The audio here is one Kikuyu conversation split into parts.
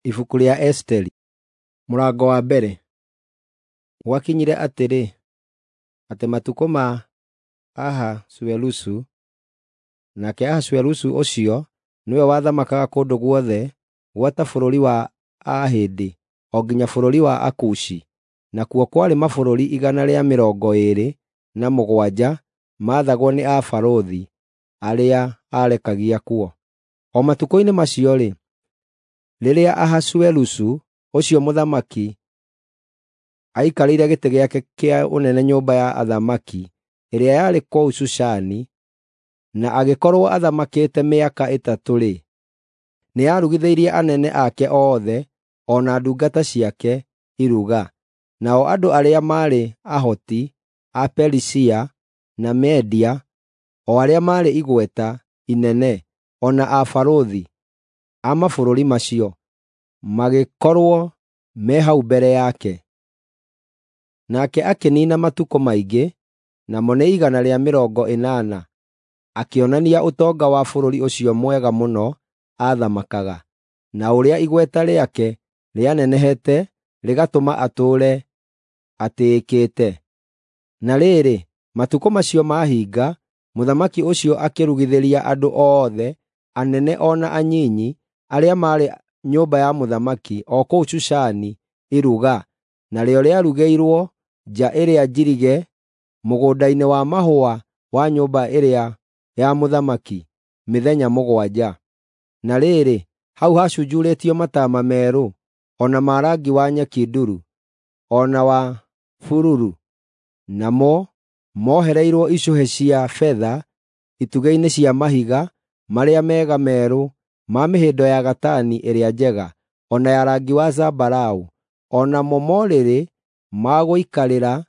Ibuku rĩa Esiteri mũrango wa mbere. Gwakinyire atĩrĩ, atĩ matukũ ma Ahasuerusu, nake Ahasuerusu ũcio nĩwe wathamakaga kũndũ guothe gwata bũrũri wa Aahĩndĩ o nginya bũrũri wa Akushi, nakuo kwarĩ mabũrũri 127 maathagwo nĩ abarũthi arĩa aarekagia kuo. O matukũ-inĩ macio-rĩ, rĩrĩa Ahasuerusu ũcio mũthamaki aikarĩire gĩtĩ gĩake kĩa ũnene nyũmba ya athamaki ĩrĩa yarĩ kũu Shushani, na agĩkorwo athamakĩte mĩaka 3-rĩ, nĩarugithĩirie anene ake othe o na ndungata ciake iruga. Nao andũ arĩa maarĩ ahoti a Perisia na Media, o arĩa maarĩ igweta inene, o na abarũthi a mabũrũri macio, magĩkorwo me hau mbere yake. Nake akĩniina matukũ maingĩ, namo nĩ 180, akĩonania ũtonga wa bũrũri ũcio mwega mũno aathamakaga, na ũrĩa igweta rĩake rĩanenehete rĩgatũma atũũre atĩĩkĩte. Na rĩrĩ, matukũ macio mahinga, mũthamaki ũcio akĩrugithĩria andũ othe, anene o na anyinyi, arĩa maarĩ nyũmba ya mũthamaki o kũu Shushani iruga, narĩo rĩarugĩirwo nja ĩrĩa njirige mũgũnda-inĩ wa mahũa wa nyũmba ĩrĩa ya mũthamaki, mĩthenya 7. Na rĩrĩ, hau hacunjurĩtio mataama merũ, o na ma rangi wa nyeki nduru, o na wa bururu, namo mohereirwo icũhĩ cia betha itugĩ-inĩ cia mahiga marĩa mega merũ ma mĩhĩndo ya gatani ĩrĩa njega, o na ya rangi wa zambarau, o namo morĩrĩ ma gũikarĩra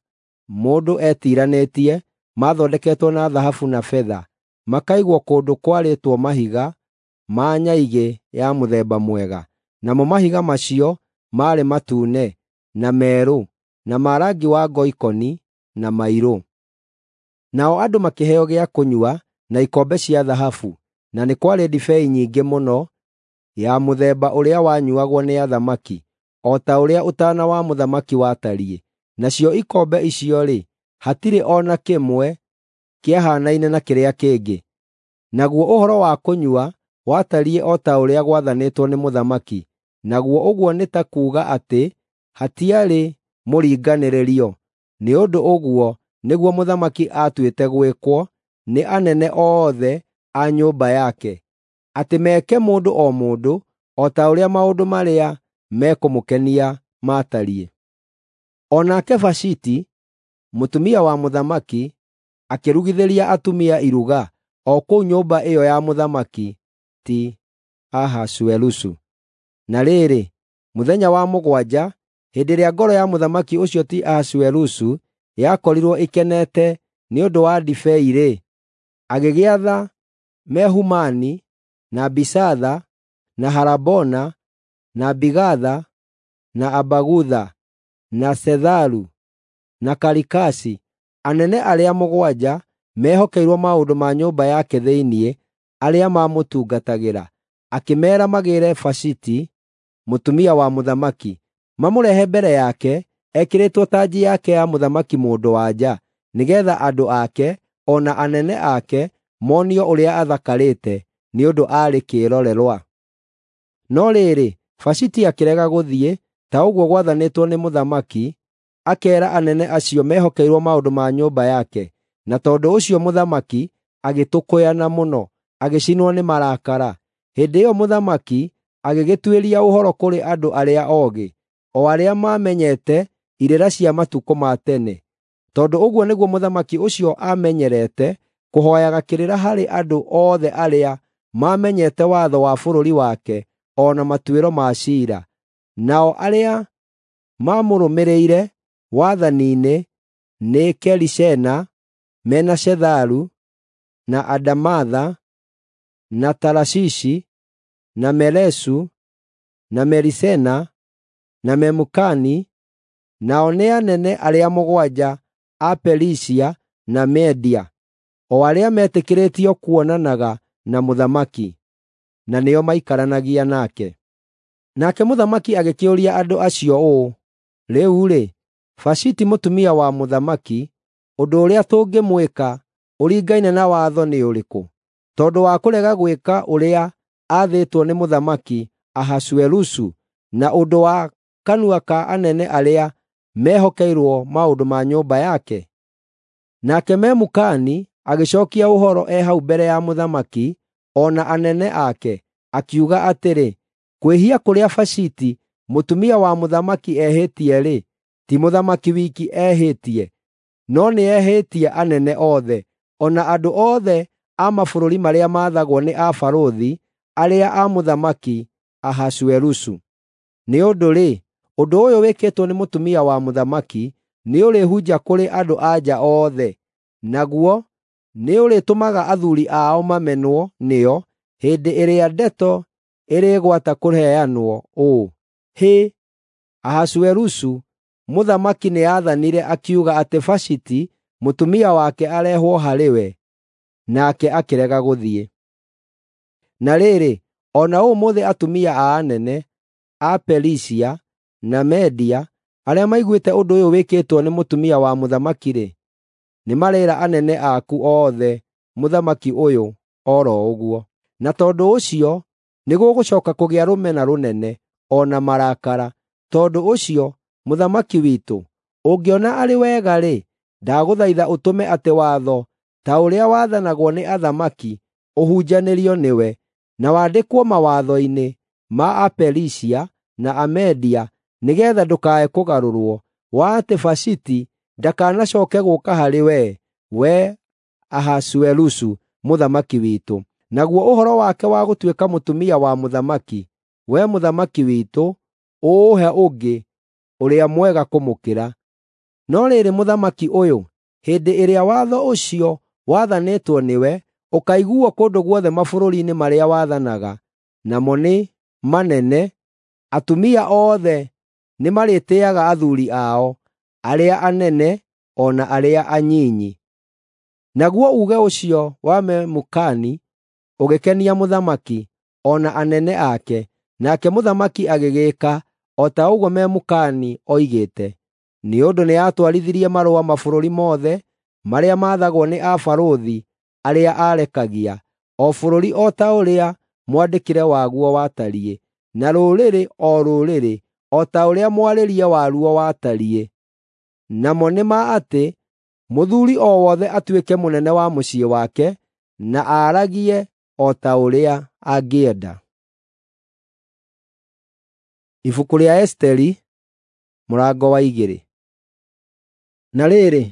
mũndũ etiiranĩtie maathondeketwo na thahabu na betha, makaigwo kũndũ kwarĩtwo mahiga ma nyaigĩ ya mũthemba mwega. Namo mahiga macio maarĩ matune, na merũ, na ma rangi wa ngoikoni, na mairũ. Nao andũ makĩheo gĩa kũnyua na ikombe cia thahabu, na nĩ kwarĩ ndibei nyingĩ mũno ya mũthemba ũrĩa wanyuuagwo nĩ athamaki, o ta ũrĩa ũtaana wa mũthamaki watariĩ. Nacio ikombe icio-rĩ, hatirĩ o na kĩmwe kĩahaanaine na kĩrĩa kĩngĩ. Naguo ũhoro wa kũnyua watariĩ o ta ũrĩa gwathanĩtwo nĩ mũthamaki, naguo ũguo nĩ ta kuuga atĩ hatiarĩ mũringanĩrĩrio, nĩ ũndũ ũguo nĩguo mũthamaki aatuĩte gwĩkwo nĩ anene othe a nyũmba yake, atĩ meke mũndũ o mũndũ o ta ũrĩa maũndũ marĩa mekũmũkenia maatariĩ. O nake Vashiti, mũtumia wa mũthamaki, akĩrugithĩria atumia iruga o kũu nyũmba ĩyo ya mũthamaki ti Ahasuerusu. Na rĩrĩ, mũthenya wa 7, hĩndĩ ĩrĩa ngoro ya mũthamaki ũcio ti Ahasuerusu yakorirwo ĩkenete nĩ ũndũ wa ndibei-rĩ, agĩgĩatha Mehumani, na Bisatha, na Harabona, na Bigatha, na Abagutha, na Setharu, na Karikasi, anene arĩa 7 mehokeirwo maũndũ ma nyũmba yake thĩinĩ, arĩa maamũtungatagĩra, akĩmeera magĩĩre Vashiti, mũtumia wa mũthamaki, mamũrehe mbere yake ekĩrĩtwo tanji yake ya mũthamaki mũndũ-wa-nja, nĩgeetha andũ ake o na anene ake monio ũrĩa athakarĩte, nĩ ũndũ aarĩ kĩĩrorerwa. No rĩrĩ, Vashiti akĩrega gũthiĩ ta ũguo gwathanĩtwo nĩ mũthamaki, akeera anene acio mehokeirwo maũndũ ma nyũmba yake. Na tondũ ũcio mũthamaki agĩtũkũyana mũno, agĩcinwo nĩ marakara. Hĩndĩ ĩyo mũthamaki agĩgĩtuĩria ũhoro kũrĩ andũ arĩa oogĩ, o arĩa maamenyete irĩra cia matukũ ma tene, tondũ ũguo nĩguo mũthamaki ũcio aamenyerete kũhooyaga kĩrĩra harĩ andũ othe arĩa maamenyete watho wa bũrũri wake o na matuĩro ma ciira. Nao arĩa maamũrũmĩrĩire wathani-inĩ nĩ Kerishena, mena Shetharu, na Adamatha, na Tarashishi, na Meresu, na Merisena, na Memukani, nao nĩ anene arĩa 7 a Perisia na Media, o arĩa metĩkĩrĩtio kuonanaga na mũthamaki, na nĩo maikaranagia nake. Nake mũthamaki agĩkĩũria andũ acio ũũ, "Rĩu-rĩ, Vashiti mũtumia wa mũthamaki, ũndũ ũrĩa tũngĩmwĩka ũringaine na watho nĩ ũrĩkũ, tondũ wa kũrega gwĩka ũrĩa aathĩtwo nĩ Mũthamaki Ahasuerusu na ũndũ wa kanua ka anene arĩa mehokeirwo maũndũ ma nyũmba yake?" Nake Memukani agĩcookia ũhoro e hau mbere ya mũthamaki o na anene ake, akiuga atĩrĩ, "Kwĩhia kũrĩa Vashiti mũtumia wa mũthamaki ehĩtie-rĩ, ti mũthamaki wiki ehĩtie, no nĩehĩtie anene othe, o na andũ othe a mabũrũri marĩa maathagwo nĩ abarũthi arĩa a Mũthamaki Ahasuerusu. Nĩ ũndũ-rĩ, ũndũ ũyũ wĩkĩtwo nĩ mũtumia wa mũthamaki nĩũrĩhunja kũrĩ andũ-a-nja othe, naguo nĩũrĩtũmaga athuuri ao mamenwo nĩo hĩndĩ ĩrĩa ndeto ĩrĩgwata kũheanwo ũũ, 'Hĩ! Ahasuerusu mũthamaki nĩathanire akiuga atĩ Vashiti mũtumia wake arehwo harĩ we,' nake akĩrega gũthiĩ." Na rĩrĩ, o na ũmũthĩ atumia a anene a Perisia na Media arĩa maiguĩte ũndũ ũyũ wĩkĩtwo nĩ mũtumia wa mũthamaki-rĩ, nĩmareera anene aku othe mũthamaki ũyũ o ro ũguo. Na tondũ ũcio nĩgũgũcooka kũgĩa rũmena rũnene, o na marakara. Tondũ ũcio, mũthamaki witũ, ũngĩona arĩ wega-rĩ, ndagũthaitha ũtũme atĩ watho ta ũrĩa wathanagwo nĩ athamaki ũhunjanĩrio nĩwe, na wandĩkwo mawatho-inĩ ma Aperisia na Amedia nĩgeetha ndũkae kũgarũrwo, wa atĩ Vashiti ndakanacooke gũũka harĩ wee, wee Ahasuerusu mũthamaki witũ. Naguo ũhoro wake wa gũtuĩka mũtumia wa mũthamaki, wee mũthamaki witũ, ũũhe ũngĩ ũrĩa mwega kũmũkĩra. No rĩrĩ, mũthamaki ũyũ, hĩndĩ ĩrĩa watho ũcio wathanĩtwo nĩwe ũkaiguuo kũndũ guothe mabũrũri-inĩ marĩa wathanaga, namo nĩ manene, atumia othe nĩmarĩtĩĩaga athuuri ao, arĩa anene o na arĩa anyinyi. Naguo uuge ũcio wa Memukani ũgĩkenia mũthamaki o na anene ake, nake mũthamaki agĩgĩĩka o ta ũguo Memukani oigĩte. Nĩ ũndũ nĩatwarithirie marũa mabũrũri mothe marĩa maathagwo nĩ abarũthi arĩa aarekagia, o bũrũri o ta ũrĩa mwandĩkĩre waguo watariĩ, na rũrĩrĩ o rũrĩrĩ o ta ũrĩa mwarĩrie waruo watariĩ. Namo nĩ ma atĩ mũthuuri o wothe atuĩke mũnene wa mũciĩ wake, na aaragie o ta ũrĩa angĩenda. Ibuku rĩa Esiteri mũrango wa 2. Na rĩrĩ,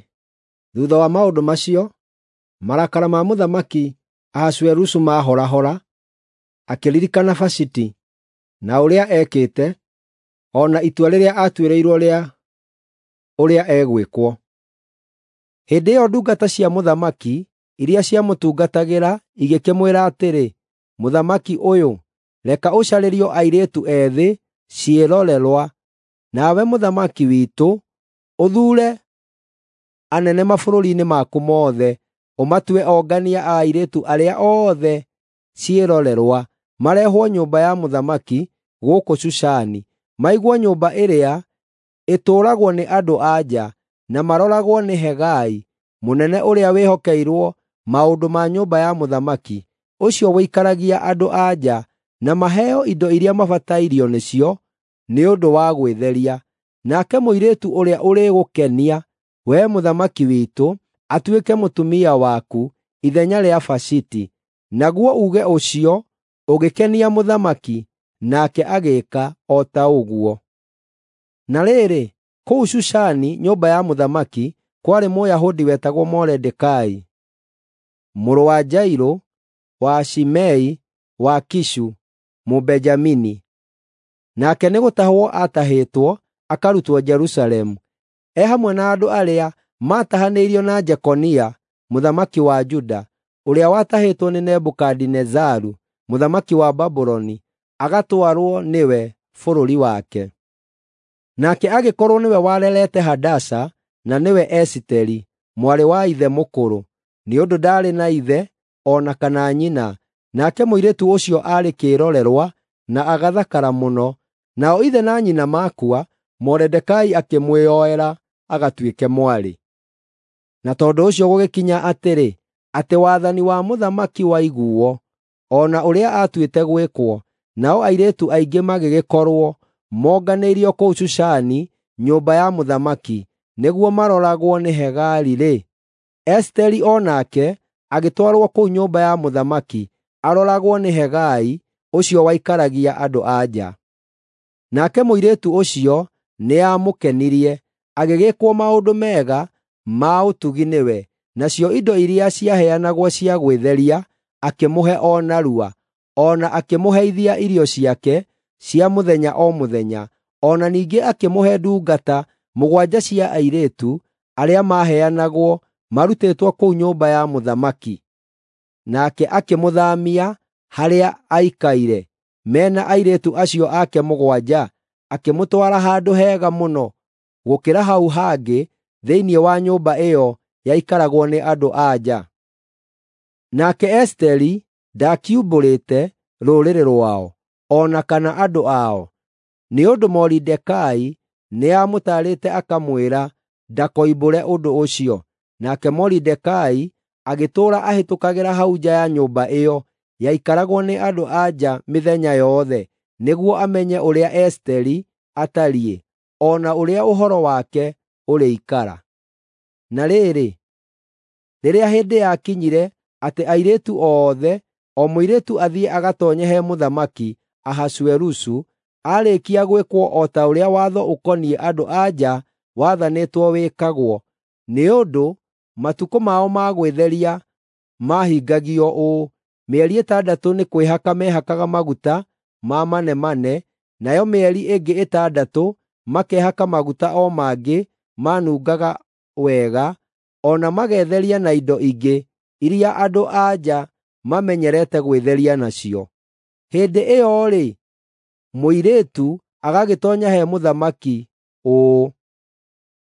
thuutha wa maũndũ macio, marakara ma Mũthamaki Ahasuerusu maahorahora, akĩririkana Vashiti na ũrĩa ekĩte, o na itua rĩrĩa aatuĩrĩirwo rĩa ũrĩa egwĩkwo. Hĩndĩ ĩyo ndungata cia mũthamaki iria ciamũtungatagĩra igĩkĩmwĩra atĩrĩ, "Mũthamaki ũyũ, reka ũcarĩrio airĩtu ethĩ ciĩrorerwa, nawe mũthamaki witũ ũthuure anene mabũrũri-inĩ maku mothe, ũmatue ongania a airĩtu arĩa othe ciĩrorerwa, marehwo nyũmba ya mũthamaki gũkũ Shushani, maigwo nyũmba ĩrĩa ĩtũũragwo nĩ andũ-a-nja, na maroragwo nĩ Hegai, mũnene ũrĩa wĩhokeirwo maũndũ ma nyũmba ya mũthamaki, ũcio ũikaragia andũ-a-nja, na maheo indo iria mabatairio nĩcio nĩ ũndũ wa gwĩtheria. Nake mũirĩtu ũrĩa ũrĩgũkenia, wee mũthamaki witũ, atuĩke mũtumia waku ithenya rĩa Vashiti." Naguo uuge ũcio ũgĩkenia mũthamaki, nake agĩĩka o ta ũguo. Na rĩrĩ, kũu Shushani nyũmba ya mũthamaki kwarĩ Mũyahudi wetagwo Moridekai, mũrũ wa Jairũ, wa Shimei, wa Kishu, Mũbenjamini. Nake nĩgũtahwo aatahĩtwo akarutwo Jerusalemu, e hamwe na andũ arĩa maatahanĩirio na Jekonia mũthamaki wa Juda, ũrĩa watahĩtwo nĩ Nebukadinezaru mũthamaki wa Babuloni, agatwarwo nĩwe bũrũri wake. Nake agĩkorwo nĩwe warerete Hadasa, na nĩwe Esiteri, mwarĩ wa ithe mũkũrũ, nĩ ũndũ ndaarĩ na ithe o na kana nyina. Nake mũirĩtu ũcio aarĩ kĩĩrorerwa na agathakara mũno. Nao ithe na nyina makua, Moridekai akĩmwĩyoera agatuĩke mwarĩ. Na tondũ ũcio gũgĩkinya atĩrĩ, atĩ wathani wa mũthamaki waiguo, o na ũrĩa aatuĩte gwĩkwo, nao airĩtu aingĩ magĩgĩkorwo monganĩirio kũu Shushani nyũmba ya mũthamaki, nĩguo maroragwo nĩ Hegai-rĩ, Esiteri o nake agĩtwarwo kũu nyũmba ya mũthamaki aroragwo nĩ Hegai ũcio waikaragia andũ-a-nja. Nake mũirĩtu ũcio nĩamũkenirie, agĩgĩĩkwo maũndũ mega ma ũtugi nĩwe, nacio indo iria ciaheanagwo cia gwĩtheria akĩmũhe o narua, o na akĩmũheithia irio ciake cia mũthenya o mũthenya, o na ningĩ akĩmũhe ndungata 7 cia airĩtu arĩa maaheanagwo marutĩtwo kũu nyũmba ya mũthamaki. Nake akĩmũthaamia harĩa aikaire mena airĩtu acio ake 7, akĩmũtwara handũ hega mũno gũkĩra hau hangĩ thĩinĩ wa nyũmba ĩyo yaikaragwo nĩ andũ-a-nja. Nake Esiteri ndakiumbũrĩte rũrĩrĩ rwao, o na kana andũ ao, nĩ ũndũ Moridekai nĩamũtaarĩte akamwĩra ndakoimbũre ũndũ ũcio. Nake Moridekai agĩtũũra ahĩtũkagĩra hau nja ya nyũmba ĩyo yaikaragwo nĩ andũ-a-nja mĩthenya yothe, nĩguo amenye ũrĩa Esiteri atariĩ, o na ũrĩa ũhoro wake ũrĩikara. Na rĩrĩ, rĩrĩa hĩndĩ yakinyire atĩ airĩtu othe, o mũirĩtu athiĩ agatoonye he mũthamaki Ahasuerusu, aarĩkia gwĩkwo o ta ũrĩa watho ũkoniĩ andũ-a-nja wathanĩtwo wĩkagwo, nĩ ũndũ matukũ mao ma gwĩtheria maahingagio ũũ: mĩeri 6 nĩ kwĩhaka mehakaga maguta ma manemane, nayo mĩeri ĩngĩ 6 makehaka maguta o mangĩ manungaga wega, o na magetheria na indo ingĩ iria andũ-a-nja mamenyerete gwĩtheria nacio. Hĩndĩ ĩyo-rĩ, mũirĩtu agagĩtoonya he mũthamaki ũũ: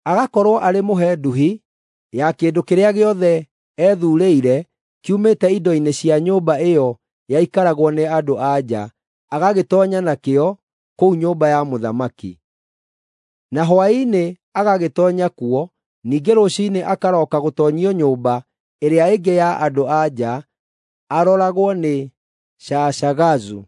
agakorwo arĩ mũhe nduhi ya kĩndũ kĩrĩa gĩothe ethuurĩire kiumĩte indo-inĩ cia nyũmba ĩyo yaikaragwo nĩ andũ-a-nja, agagĩtoonya nakĩo kũu nyũmba ya mũthamaki. Na hwaĩ-inĩ agagĩtoonya kuo, ningĩ rũciinĩ akarooka gũtoonyio nyũmba ĩrĩa ĩngĩ ya andũ-a-nja aroragwo nĩ Shaashagazu,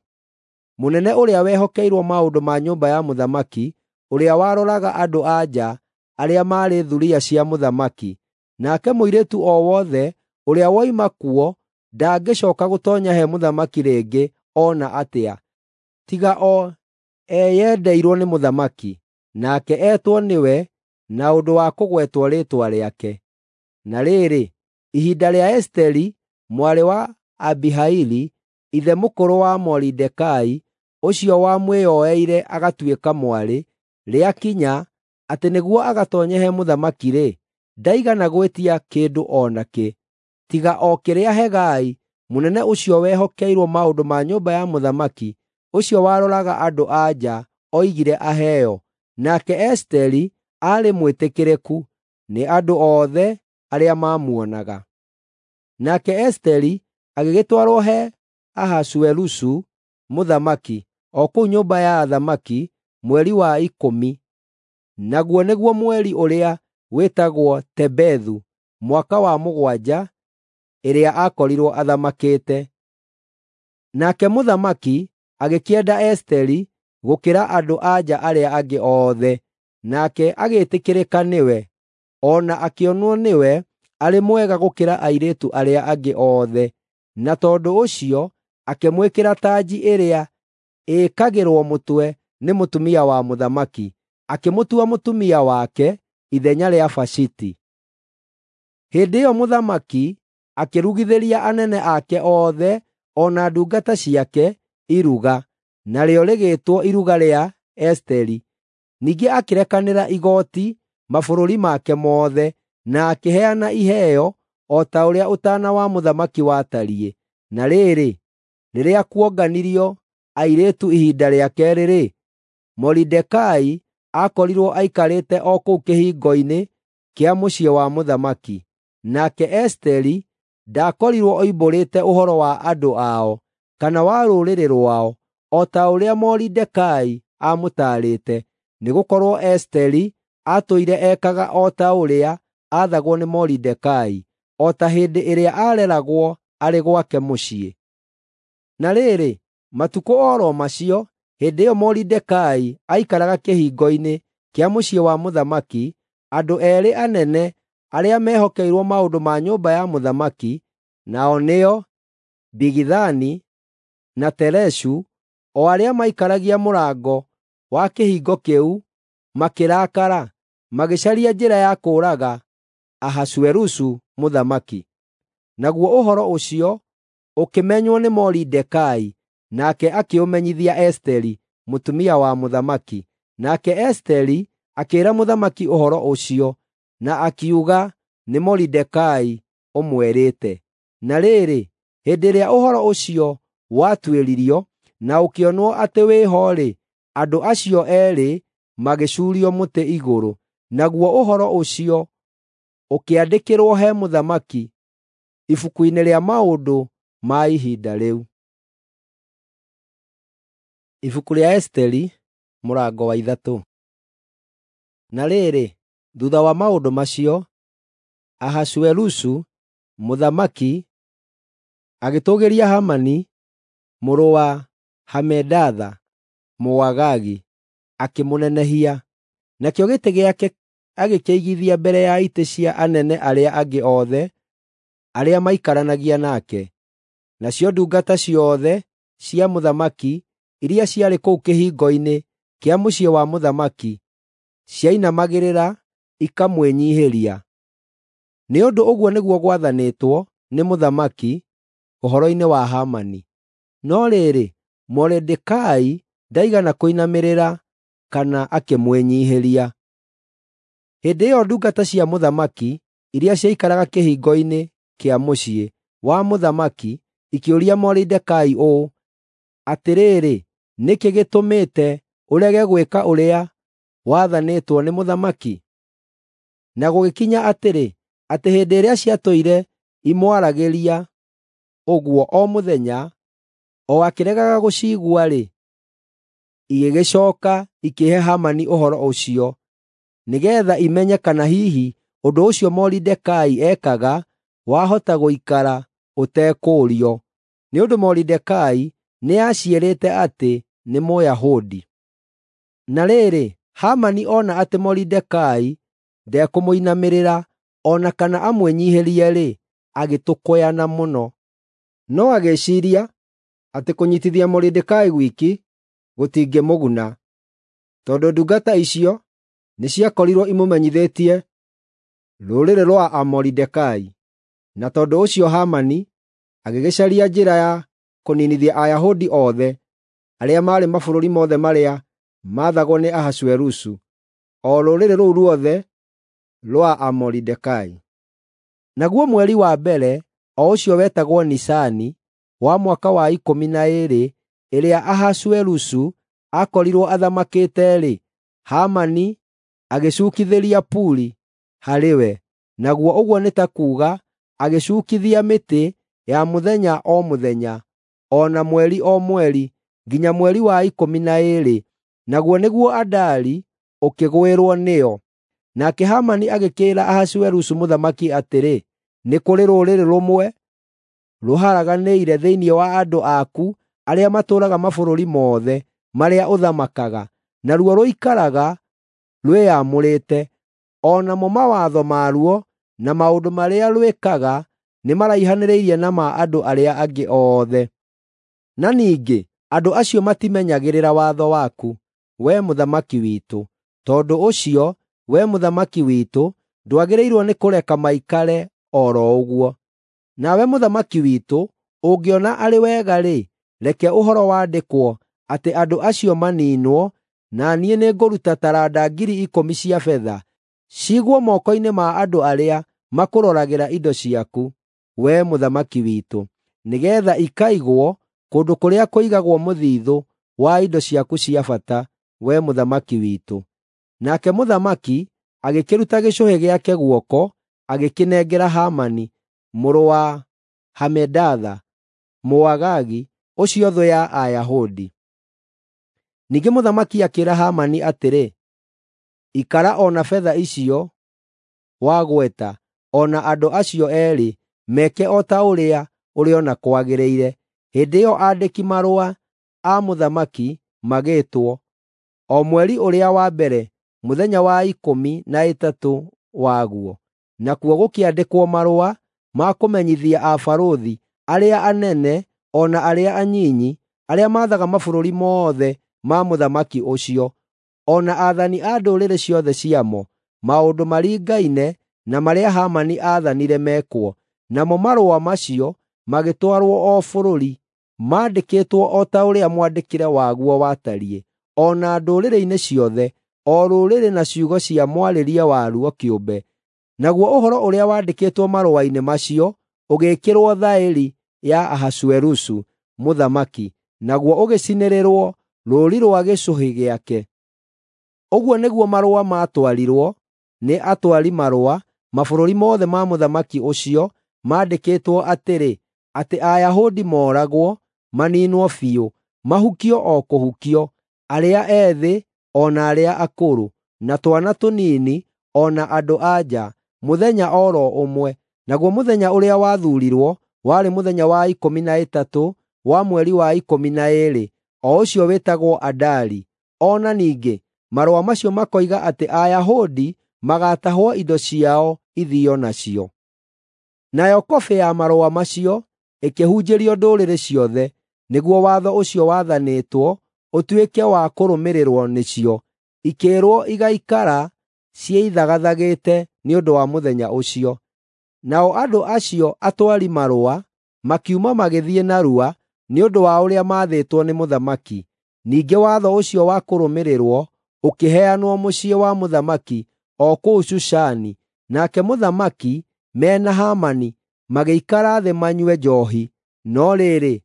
mũnene ũrĩa wehokeirwo maũndũ ma nyũmba ya mũthamaki, ũrĩa waroraga andũ-a-nja arĩa maarĩ thuriya cia mũthamaki. Nake mũirĩtu o wothe ũrĩa woima kuo ndangĩcooka gũtoonya he mũthamaki rĩngĩ o na atĩa, tiga o eyendeirwo nĩ mũthamaki, nake etwo nĩwe na ũndũ wa kũgwetwo rĩĩtwa rĩake. Na rĩrĩ, ihinda rĩa Esiteri mwarĩ wa Abihaili, ithe mũkũrũ wa Moridekai, ũcio wamwĩyoeire agatuĩka mwarĩ, rĩakinya atĩ nĩguo agatoonye he mũthamaki-rĩ, ndaigana gwĩtia kĩndũ o nakĩ, tiga o kĩrĩa Hegai, mũnene ũcio wehokeirwo maũndũ ma nyũmba ya mũthamaki, ũcio waroraga andũ-a-nja, oigire aheo. Nake Esiteri aarĩ mwĩtĩkĩrĩku nĩ andũ othe arĩa maamuonaga. Nake Esiteri agĩgĩtwarwo he Ahasuerusu mũthamaki, o kũu nyũmba ya athamaki, mweri wa 10, naguo nĩguo mweri ũrĩa wĩtagwo Tebethu, mwaka wa 7 ĩrĩa aakorirwo athamakĩte. Nake mũthamaki agĩkĩenda Esiteri gũkĩra andũ-a-nja arĩa angĩ othe, nake agĩĩtĩkĩrĩka nĩwe, o na akĩonwo nĩwe arĩ mwega gũkĩra airĩtu arĩa angĩ othe, na tondũ ũcio akĩmwĩkĩra tanji ĩrĩa ĩĩkagĩrwo mũtwe nĩ mũtumia wa mũthamaki, akĩmũtua mũtumia wake ithenya rĩa Vashiti. Hĩndĩ ĩyo mũthamaki akĩrugithĩria anene ake othe o na ndungata ciake iruga, narĩo rĩgĩtwo iruga rĩa Esiteri. Ningĩ akĩrekanĩra igooti mabũrũri make mothe, na akĩheana iheo o ta ũrĩa ũtaana wa mũthamaki watariĩ. Na rĩrĩ, rĩrĩa kuonganirio airĩtu ihinda rĩa keerĩ-rĩ, Moridekai aakorirwo aikarĩte o kũu kĩhingo-inĩ kĩa mũciĩ wa mũthamaki. Nake Esiteri ndaakorirwo oimbũrĩte ũhoro wa andũ ao kana wa rũrĩrĩ rwao, o ta ũrĩa Moridekai aamũtaarĩte, nĩgũkorwo Esiteri aatũire ekaga o ta ũrĩa aathagwo nĩ Moridekai, o ta hĩndĩ ĩrĩa aareragwo arĩ gwake mũciĩ. Na rĩrĩ, matukũ o ro macio, hĩndĩ ĩyo Moridekai aikaraga kĩhingo-inĩ kĩa mũciĩ wa mũthamaki, andũ eerĩ anene arĩa mehokeirwo maũndũ ma nyũmba ya mũthamaki, nao nĩo Bigithani na Tereshu, o arĩa maikaragia mũrango wa kĩhingo kĩu, makĩrakara, magĩcaria njĩra ya kũũraga Ahasuerusu mũthamaki. Naguo ũhoro ũcio ũkĩmenywo nĩ Moridekai, nake akĩũmenyithia Esiteri mũtumia wa mũthamaki. Nake Esiteri akĩĩra mũthamaki ũhoro ũcio, na akiuga nĩ Moridekai ũmwerĩte. Na rĩrĩ, hĩndĩ ĩrĩa ũhoro ũcio watuĩririo na ũkĩonwo atĩ wĩho-rĩ, andũ acio eerĩ magĩcuurio mũtĩ igũrũ. Naguo ũhoro ũcio ũkĩandĩkĩrwo he mũthamaki ibuku-inĩ rĩa maũndũ ma ihinda rĩu. Ibuku rĩa Esiteri mũrango wa 3. Na rĩrĩ, thuutha wa maũndũ macio, Ahasuerusu mũthamaki agĩtũũgĩria Hamani mũrũ wa Hamedatha Mũagagi, akĩmũnenehia. Nakĩo gĩtĩ gĩake agĩkĩigithia mbere ya itĩ cia anene arĩa angĩ othe arĩa maikaranagia nake. Nacio ndungata ciothe cia mũthamaki iria ciarĩ kũu kĩhingo-inĩ kĩa mũciĩ wa mũthamaki ciainamagĩrĩra ikamwĩnyiihĩria. Nĩ ũndũ ũguo nĩguo gwathanĩtwo nĩ mũthamaki ũhoro-inĩ wa Hamani. No rĩrĩ, Moridekai ndaigana kũinamĩrĩra kana akĩmwĩnyiihĩria. Hĩndĩ ĩyo ndungata cia mũthamaki iria ciaikaraga kĩhingo-inĩ kĩa mũciĩ wa mũthamaki ikĩũria Moridekai ũũ, “Atĩrĩrĩ, nĩ kĩĩ gĩtũmĩte ũrege gwĩka ũrĩa wathanĩtwo nĩ mũthamaki?” Na gũgĩkinya atĩrĩ, atĩ hĩndĩ ĩrĩa ciatũire imwaragĩria ũguo o mũthenya, o akĩregaga gũciigua-rĩ, igĩgĩcooka ikĩhe Hamani ũhoro ũcio nĩgeetha imenye kana hihi ũndũ ũcio Moridekai ekaga wahota gũikara ũtekũũrio, nĩ ũndũ Moridekai nĩaciĩrĩte atĩ nĩ Mũyahudi. Na rĩrĩ, Hamani ona atĩ Moridekai ndekũmũinamĩrĩra o na kana amwĩnyiihĩrie-rĩ, agĩtũkũyana mũno. No agĩĩciiria atĩ kũnyiitithia Moridekai gwiki gũtingĩmũguna, tondũ ndungata icio nĩciakorirwo imũmenyithĩtie rũrĩrĩ rwa Amoridekai. Na tondũ ũcio Hamani agĩgĩcaria njĩra ya kũniinithia Ayahudi othe arĩa maarĩ mabũrũri mothe marĩa maathagwo nĩ Ahasuerusu, o rũrĩrĩ rũu ruothe rwa Amoridekai. Naguo mweri wa mbere, o ũcio wetagwo Nisani, wa mwaka wa 12 ĩrĩa Ahasuerusu aakorirwo athamakĩte-rĩ, Hamani agĩcuukithĩria Puri harĩ we, naguo ũguo nĩ ta kuuga agĩcuukithia mĩtĩ ya mũthenya o mũthenya, o na mweri o mweri, nginya mweri wa 12, naguo nĩguo Adari, ũkĩgwĩrwo nĩyo. Nake Hamani agĩkĩĩra Ahasuerusu mũthamaki atĩrĩ, “Nĩ kũrĩ rũrĩrĩ rũmwe rũharaganĩire thĩinĩ wa andũ aku arĩa matũũraga mabũrũri mothe marĩa ũthamakaga, naruo rũikaraga rwĩyamũrĩte, o namo mawatho maruo na maũndũ marĩa rwĩkaga nĩmaraihanĩrĩirie na ma andũ arĩa angĩ othe. Na ningĩ andũ acio matimenyagĩrĩra watho waku, wee mũthamaki witũ. Tondũ ũcio, wee mũthamaki witũ, ndwagĩrĩirwo nĩ kũreka maikare o ro ũguo. Nawe mũthamaki witũ, ũngĩona arĩ wega-rĩ, reke ũhoro wandĩkwo atĩ andũ acio maniinwo, na niĩ nĩngũruta taranda 10,000 cia betha ciigwo moko-inĩ ma andũ arĩa makũroragĩra indo ciaku, wee mũthamaki witũ, nĩgeetha ikaigwo kũndũ kũrĩa kũigagwo mũthiithũ wa indo ciaku cia bata, wee mũthamaki witũ.” Nake mũthamaki agĩkĩruta gĩcũhĩ gĩake guoko, agĩkĩnengera Hamani mũrũ wa Hamedatha, Mũagagi, ũcio thũ ya Ayahudi. Ningĩ mũthamaki akĩĩra Hamani atĩrĩ, “Ikara o na betha icio wagweta, o na andũ acio eerĩ, meke o ta ũrĩa ũrĩona kwagĩrĩire.” Hĩndĩ ĩyo aandĩki-marũa a mũthamaki magĩĩtwo, o mweri ũrĩa wa mbere, mũthenya wa 13 waguo, nakuo gũkĩandĩkwo marũa ma kũmenyithia abarũthi, arĩa anene o na arĩa anyinyi, arĩa maathaga mabũrũri mothe ma mũthamaki ũcio, o na aathani a ndũrĩrĩ ciothe ciamo, maũndũ maringaine na marĩa Hamani aathanire mekwo. Namo marũa macio magĩtwarwo o bũrũri, maandĩkĩtwo o ta ũrĩa mwandĩkĩre waguo watariĩ, o na ndũrĩrĩ-inĩ ciothe, o rũrĩrĩ na ciugo cia mwarĩrie waruo kĩũmbe. Naguo ũhoro ũrĩa waandĩkĩtwo marũa-inĩ macio ũgĩĩkĩrwo thaĩri ya Ahasuerusu mũthamaki, naguo ũgĩcinĩrĩrwo rũũri rwa gĩcũhĩ gĩake. Ũguo nĩguo marũa maatwarirwo nĩ atwari marũa mabũrũri mothe ma mũthamaki ũcio, maandĩkĩtwo atĩrĩ, atĩ Ayahudi mooragwo, maniinwo biũ, mahukio o kũhukio, arĩa ethĩ o na arĩa akũrũ, na twana tũnini o na andũ-a-nja, mũthenya o ro ũmwe. Naguo mũthenya ũrĩa wathuurirwo warĩ mũthenya wa 13 wa mweri wa 12, o ũcio wĩtagwo Adari. O na ningĩ marũa macio makoiga atĩ Ayahudi magaatahwo indo ciao ithiio nacio. Nayo kobĩ ya marũa macio ĩkĩhunjĩrio ndũrĩrĩ ciothe, nĩguo watho ũcio wathanĩtwo ũtuĩke wa kũrũmĩrĩrwo nĩcio, ikĩĩrwo igaikara ciĩthagathagĩte nĩ ũndũ wa mũthenya ũcio. Nao andũ acio atwari marũa makiuma magĩthiĩ narua nĩ ũndũ wa ũrĩa maathĩtwo nĩ mũthamaki. Ningĩ watho ũcio wa kũrũmĩrĩrwo ũkĩheanwo mũciĩ wa mũthamaki o kũu Shushani, nake mũthamaki me na Hamani magĩikara thĩ manyue njoohi. No rĩrĩ,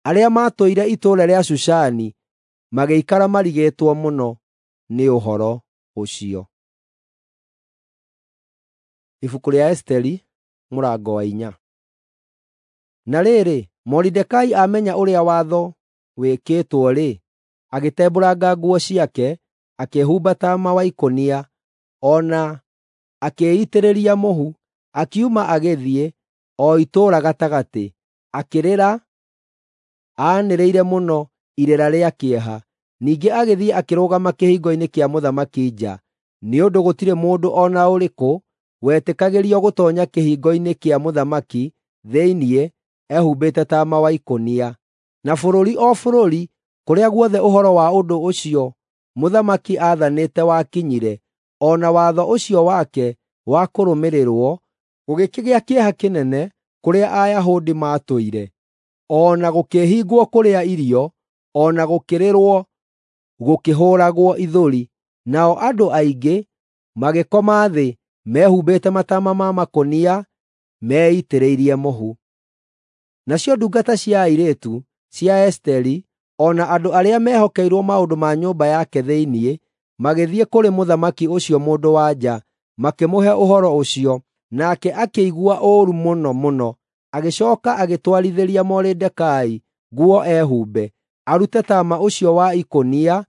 arĩa maatũire itũũra rĩa Shushani magĩikara marigĩtwo mũno nĩ ũhoro ũcio. Ibuku rĩa Esiteri mũrango wa 4. Na rĩrĩ, Moridekai amenya ũrĩa watho wĩkĩtwo-rĩ, agĩtembũranga nguo ciake, akĩĩhumba taama wa ikũnia, o na akĩĩitĩrĩria mũhu, akiuma agĩthiĩ o itũũra gatagatĩ, akĩrĩra aanĩrĩire mũno irĩra rĩa kĩeha. Ningĩ agĩthiĩ akĩrũgama kĩhingo-inĩ kĩa mũthamaki nja, nĩ ũndũ gũtirĩ mũndũ o na ũrĩkũ wetĩkagĩrio gũtoonya kĩhingo-inĩ kĩa mũthamaki thĩinĩ ehumbĩte taama wa ikũnia. Na bũrũri o bũrũri kũrĩa guothe ũhoro wa ũndũ ũcio mũthamaki aathanĩte wakinyire, o na watho ũcio wake wa kũrũmĩrĩrwo, gũgĩkĩgĩa kĩeha kĩnene kũrĩa Ayahudi maatũire, o na gũkĩhingwo kũrĩa irio, o na gũkĩrĩrwo gũkĩhũũragwo ithũri. Nao andũ aingĩ magĩkoma thĩ mehumbĩte mataama ma makũnia meitĩrĩirie mũhu. Nacio ndungata cia airĩtu cia Esiteri o na andũ arĩa mehokeirwo maũndũ ma nyũmba yake thĩinĩ magĩthiĩ kũrĩ mũthamaki ũcio mũndũ-wa-nja, makĩmũhe ũhoro ũcio, nake akĩigua ũũru mũno mũno. Agĩcooka agĩtwarithĩria Moridekai nguo ehumbe, arute taama ũcio wa ikũnia,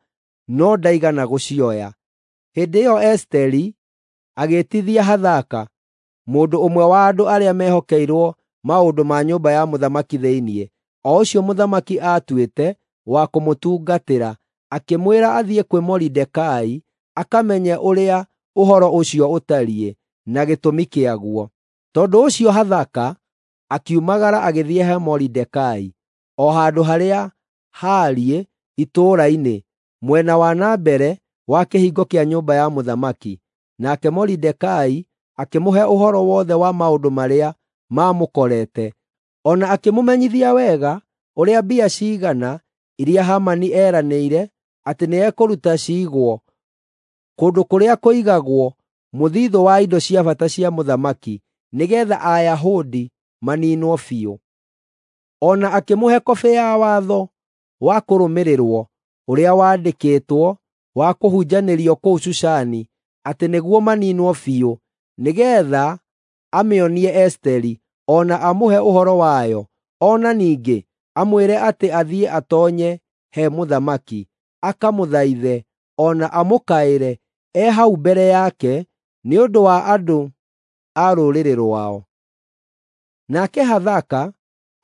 no ndaigana gũcioya. Hĩndĩ ĩyo Esiteri agĩĩtithia Hathaka, mũndũ ũmwe wa andũ arĩa mehokeirwo maũndũ ma nyũmba ya mũthamaki thĩinĩ, o ũcio mũthamaki aatuĩte wa kũmũtungatĩra, akĩmwĩra athiĩ kwĩ Moridekai akamenye ũrĩa ũhoro ũcio ũtariĩ na gĩtũmi kĩaguo. Tondũ ũcio Hathaka akiumagara agĩthiĩ he Moridekai, o handũ harĩa haariĩ itũũra-inĩ, mwena wa na mbere wa kĩhingo kĩa nyũmba ya mũthamaki. Nake Moridekai akĩmũhe ũhoro wothe wa maũndũ marĩa maamũkorete, o na akĩmũmenyithia wega ũrĩa mbia ciigana iria Hamani eeranĩire atĩ nĩekũruta ciigwo kũndũ kũrĩa kũigagwo mũthiithũ wa indo cia bata cia mũthamaki, nĩgeetha Ayahudi maniinwo biũ. O na akĩmũhe kobĩ ya watho wa kũrũmĩrĩrwo ũrĩa waandĩkĩtwo wa kũhunjanĩrio kũu Shushani, atĩ nĩguo maniinwo biũ, nĩgeetha amĩonie Esiteri o na amũhe ũhoro wayo, o na ningĩ amwĩre atĩ athiĩ atoonye he mũthamaki, akamũthaithe o na amũkaĩre e hau mbere yake nĩ ũndũ wa andũ a rũrĩrĩ rwao. Nake Hathaka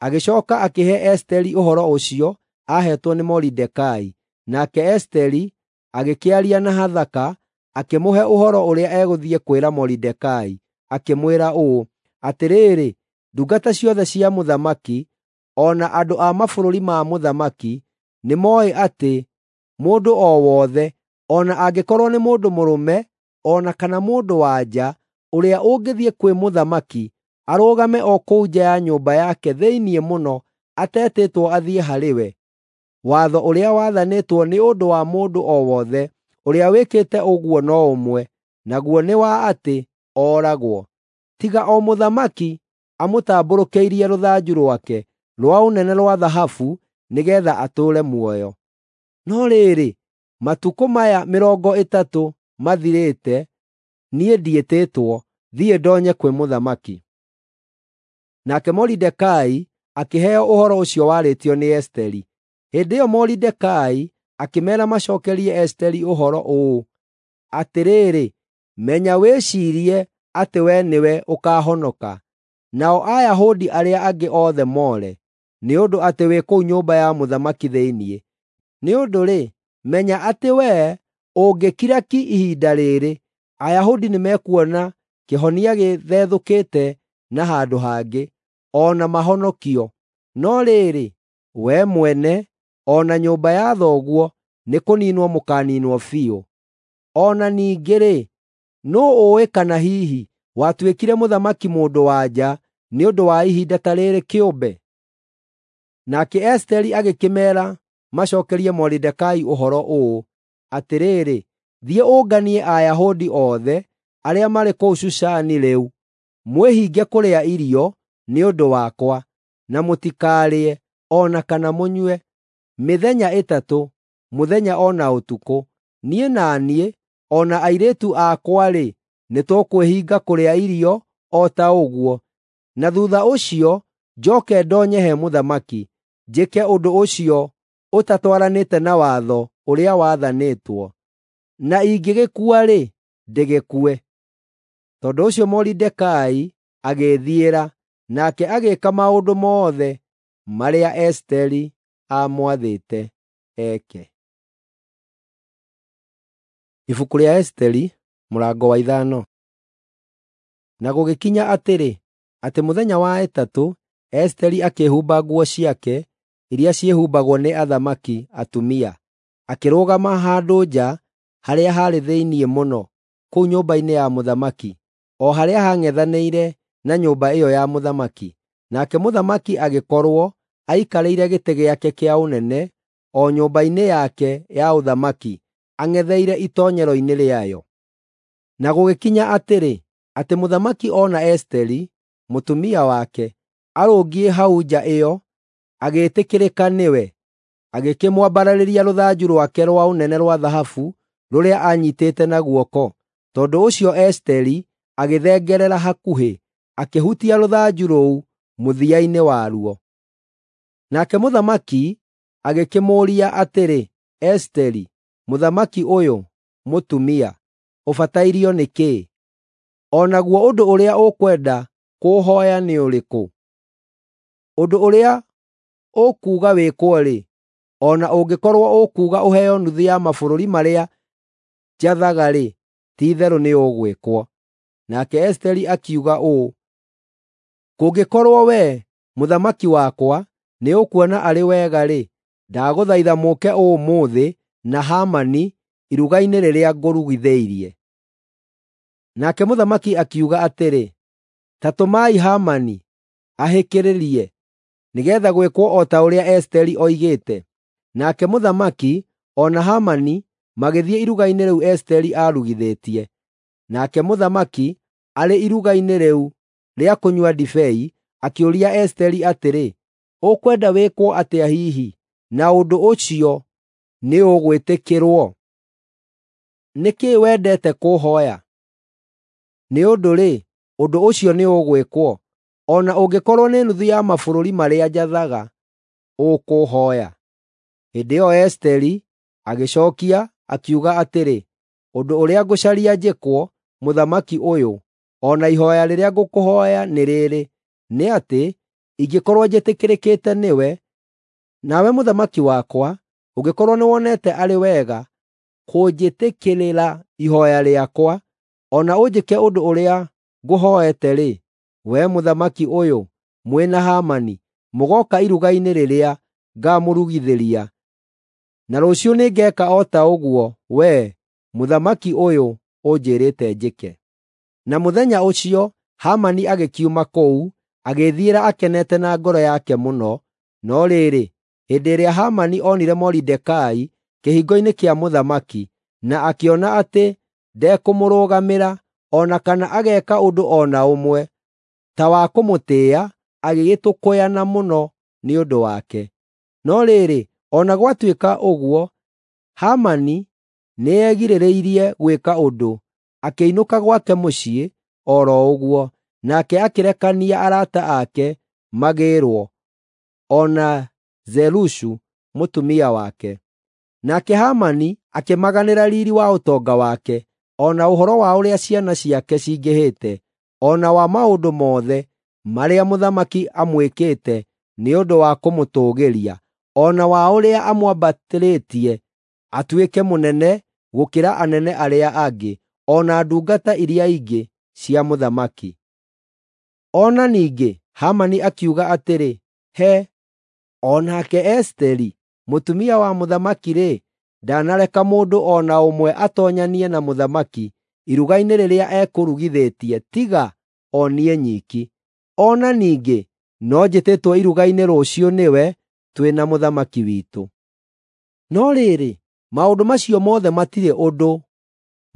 agĩcooka akĩhe Esiteri ũhoro ũcio aaheetwo nĩ Moridekai. Nake Esiteri agĩkĩaria na Hathaka, akĩmũhe ũhoro ũrĩa egũthiĩ kwĩra Moridekai, akĩmwĩra ũũ, “Atĩrĩrĩ, ndungata ciothe cia mũthamaki, o na andũ a mabũrũri ma mũthamaki nĩmooĩ atĩ mũndũ o wothe, o na angĩkorwo nĩ mũndũ mũrũme o na kana mũndũ-wa-nja, ũrĩa ũngĩthiĩ kwĩ mũthamaki, arũgame o kũu nja ya nyũmba yake thĩinĩ mũno atetĩtwo athiĩ harĩ we, watho ũrĩa wathanĩtwo nĩ ũndũ wa mũndũ o wothe ũrĩa wĩkĩte ũguo no ũmwe, naguo nĩ wa atĩ ooragwo. Tiga o mũthamaki amũtambũrũkĩirie rũthanju rwake rwa ũnene rwa thahabu nĩgeetha atũũre muoyo. No rĩrĩ, matukũ maya 30 mathirĩte niĩ ndiĩtĩtwo thiĩ ndoonye kwĩ mũthamaki.” Nake Moridekai akĩheo ũhoro ũcio warĩtio nĩ Esiteri. Hĩndĩ ĩyo Moridekai akĩmeera macookerie Esiteri ũhoro ũũ, “Atĩrĩrĩ, menya wĩciirie atĩ wee nĩwe ũkaahonoka, nao Ayahudi arĩa angĩ othe moore, nĩ ũndũ atĩ wĩ kũu nyũmba ya mũthamaki thĩinĩ. Nĩ ũndũ-rĩ, menya atĩ wee ũngĩkira ki ihinda rĩĩrĩ, Ayahudi nĩmekuona kĩhonia gĩthethũkĩte na handũ hangĩ, o na mahonokio. No rĩrĩ, wee mwene o na nyũmba ya thoguo nĩkũniinwo mũkaaniinwo biũ. O na ningĩ-rĩ, nũũ ũũĩ kana hihi watuĩkire mũthamaki mũndũ-wa-nja nĩ ũndũ wa ihinda ta rĩĩrĩ kĩũmbe?” Nake Esiteri agĩkĩmeera macookerie Moridekai ũhoro ũũ, “Atĩrĩrĩ, thiĩ ũnganie Ayahudi othe arĩa marĩ kũu Shushani rĩu, mwĩhinge kũrĩa irio nĩ ũndũ wakwa, na mũtikarĩe o na kana mũnyue, mĩthenya 3, mũthenya o na ũtukũ. Niĩ na niĩ, o na airĩtu akwa-rĩ, nĩtũkwĩhinga kũrĩa irio o ta ũguo. Na thuutha ũcio njooke ndoonye he mũthamaki, njĩke ũndũ ũcio ũtatwaranĩte na watho ũrĩa wathanĩtwo. Na ingĩgĩkua-rĩ, ndĩgĩkue.” Tondũ ũcio Moridekai agĩĩthiĩra, nake agĩĩka maũndũ mothe marĩa Esiteri aamwathĩte eke. Ibuku rĩa Esiteri mũrango wa 5. Na gũgĩkinya atĩrĩ, atĩ mũthenya wa ĩtatũ Esiteri akĩĩhumba nguo ciake iria ciĩhumbagwo nĩ athamaki atumia, akĩrũgama handũ nja harĩa haarĩ thĩinĩ mũno kũu nyũmba-inĩ ya mũthamaki, o harĩa haang'ethanĩire na nyũmba ĩyo ya mũthamaki. Nake mũthamaki agĩkorwo aikarĩire gĩtĩ gĩake kĩa ũnene o nyũmba-inĩ yake ya ũthamaki ang'etheire itoonyero-inĩ rĩayo. Na gũgĩkinya atĩrĩ, atĩ mũthamaki oona Esiteri, mũtumia wake, arũngiĩ hau nja ĩyo, agĩĩtĩkĩrĩka nĩwe, agĩkĩmwambararĩria rũthanju rwake rwa ũnene rwa thahabu rũrĩa aanyiitĩte na guoko. Tondũ ũcio Esiteri agĩthengerera hakuhĩ, akĩhutia rũthanju rũu mũthia-inĩ waruo. Nake mũthamaki agĩkĩmũũria atĩrĩ, “Esiteri, mũthamaki ũyũ, mũtumia, ũbatairio nĩ kĩĩ? O naguo ũndũ ũrĩa ũkwenda kũũhooya nĩ ũrĩkũ? Ũndũ ũrĩa ũkuuga wĩkwo-rĩ, o na ũngĩkorwo ũkuuga ũheo nuthu ya mabũrũri marĩa njathaga-rĩ, ti-itherũ nĩũgwĩkwo.” Nake Esiteri akiuga ũũ, “Kũngĩkorwo wee, mũthamaki wakwa, nĩũkuona arĩ wega-rĩ, ndagũthaitha mũũke ũmũthĩ na Hamani iruga-inĩ rĩrĩa ngũrugithĩirie.” Nake mũthamaki akiuga atĩrĩ, “Ta tũmai Hamani ahĩkĩrĩrie, nĩgeetha gwĩkwo o ta ũrĩa Esiteri oigĩte.” Nake mũthamaki o na Hamani magĩthiĩ iruga-inĩ rĩu Esiteri aarugithĩtie. Nake mũthamaki arĩ iruga-inĩ rĩu rĩa kũnyua ndibei, akĩũria Esiteri atĩrĩ, “Ũkwenda wĩkwo atĩa hihi, na ũndũ ũcio nĩũgwĩtĩkĩrwo? Nĩ kĩĩ wendete kũũhooya? Nĩ ũndũ-rĩ, ũndũ ũcio nĩũgwĩkwo, o na ũngĩkorwo nĩ nuthu ya mabũrũri marĩa njathaga ũkũũhooya.” Hĩndĩ ĩyo Esiteri Agĩcookia akiuga atĩrĩ, “Ũndũ ũrĩa ngũcaria njĩkwo, mũthamaki ũyũ, o na ihooya rĩrĩa ngũkũhooya nĩ rĩĩrĩ, nĩ atĩ ingĩkorwo njĩtĩkĩrĩkĩte nĩwe, nawe mũthamaki wakwa ũngĩkorwo nĩwonete arĩ wega kũnjĩtĩkĩrĩra ihooya rĩakwa, o na ũnjĩke ũndũ ũrĩa ngũhooete-rĩ, wee mũthamaki ũyũ, mwĩ na Hamani mũgooka iruga-inĩ rĩrĩa ngaamũrugithĩria. Na rũciũ nĩngeeka o ta ũguo wee, mũthamaki ũyũ, ũnjĩrĩte njĩke.” Na mũthenya ũcio Hamani agĩkiuma kũu, agĩĩthiĩra akenete na ngoro yake mũno. No rĩrĩ, hĩndĩ ĩrĩa Hamani onire Moridekai kĩhingo-inĩ kĩa mũthamaki, na akĩona atĩ ndekũmũrũgamĩra o na kana ageeka ũndũ o na ũmwe ta wa kũmũtĩĩa, agĩgĩtũkũyana mũno nĩ ũndũ wake. No rĩrĩ, o na gwatuĩka ũguo, Hamani nĩegirĩrĩirie gwĩka ũndũ, akĩinũka gwake mũciĩ o ro ũguo, nake akĩrekania arata ake magĩĩrwo, o na Zerushu mũtumia wake. Nake Hamani akĩmaganĩra riiri wa ũtonga wake, o na ũhoro wa ũrĩa ciana ciake cingĩhĩte, o na wa maũndũ mothe marĩa mũthamaki amwĩkĩte nĩ ũndũ wa kũmũtũũgĩria, o na wa ũrĩa amwambatĩrĩtie atuĩke mũnene gũkĩra anene arĩa angĩ, o na ndungata iria ingĩ cia mũthamaki. O na ningĩ Hamani akiuga atĩrĩ, “He, o nake Esiteri mũtumia wa mũthamaki-rĩ, ndanareka mũndũ o na ũmwe atoonyanie na mũthamaki iruga-inĩ rĩrĩa ekũrugithĩtie tiga o niĩ nyiki. O na ningĩ no njĩtĩtwo iruga-inĩ rũciũ nĩwe twĩ na mũthamaki witũ.” No rĩrĩ, maũndũ macio mothe matirĩ ũndũ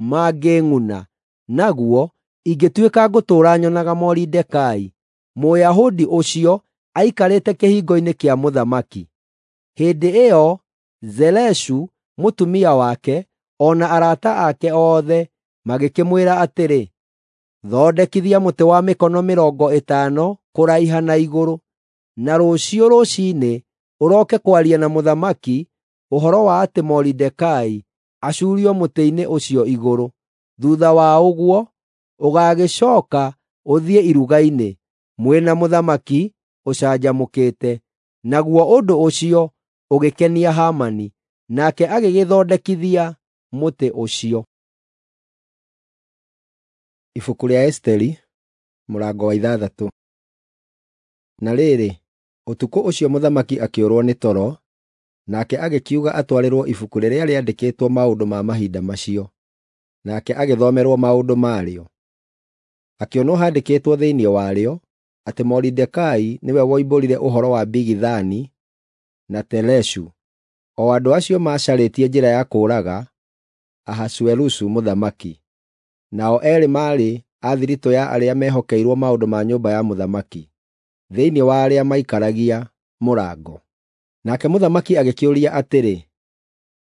mangĩng'una naguo ingĩtuĩka ngũtũũra nyonaga Moridekai, Mũyahudi ũcio, aikarĩte kĩhingo-inĩ kĩa mũthamaki. Hĩndĩ ĩyo Zereshu mũtumia wake, o na arata ake othe magĩkĩmwĩra atĩrĩ, “Thondekithia mũtĩ wa mĩkono 50 kũraiha na igũrũ, na rũciũ rũciinĩ ũroke kwaria na mũthamaki ũhoro wa atĩ Moridekai acuurio mũtĩ-inĩ ũcio igũrũ. Thuutha wa ũguo, ũgaagĩcooka ũthiĩ iruga-inĩ, mwĩ na mũthamaki ũcanjamũkĩte.” Naguo ũndũ ũcio ũgĩkenia Hamani, nake agĩgĩthondekithia mũtĩ ũcio. Ibuku rĩa Esiteri mũrango wa 6. Na rĩrĩ, ũtukũ ũcio mũthamaki akĩũrwo nĩ toro, nake agĩkiuga atwarĩrwo ibuku rĩrĩa rĩandĩkĩtwo maũndũ ma mahinda macio, nake agĩthomerwo maũndũ marĩo. Akĩonwo handĩkĩtwo thĩinĩ warĩo atĩ Moridekai nĩwe woimbũrire ũhoro wa Bigithani na Tereshu, o andũ acio macarĩtie njĩra ya kũũraga Ahasuerusu mũthamaki. Nao eerĩ maarĩ a thiritũ ya arĩa mehokeirwo maũndũ ma nyũmba ya mũthamaki, thĩinĩ wa arĩa maikaragia mũrango. Nake mũthamaki agĩkĩũria atĩrĩ,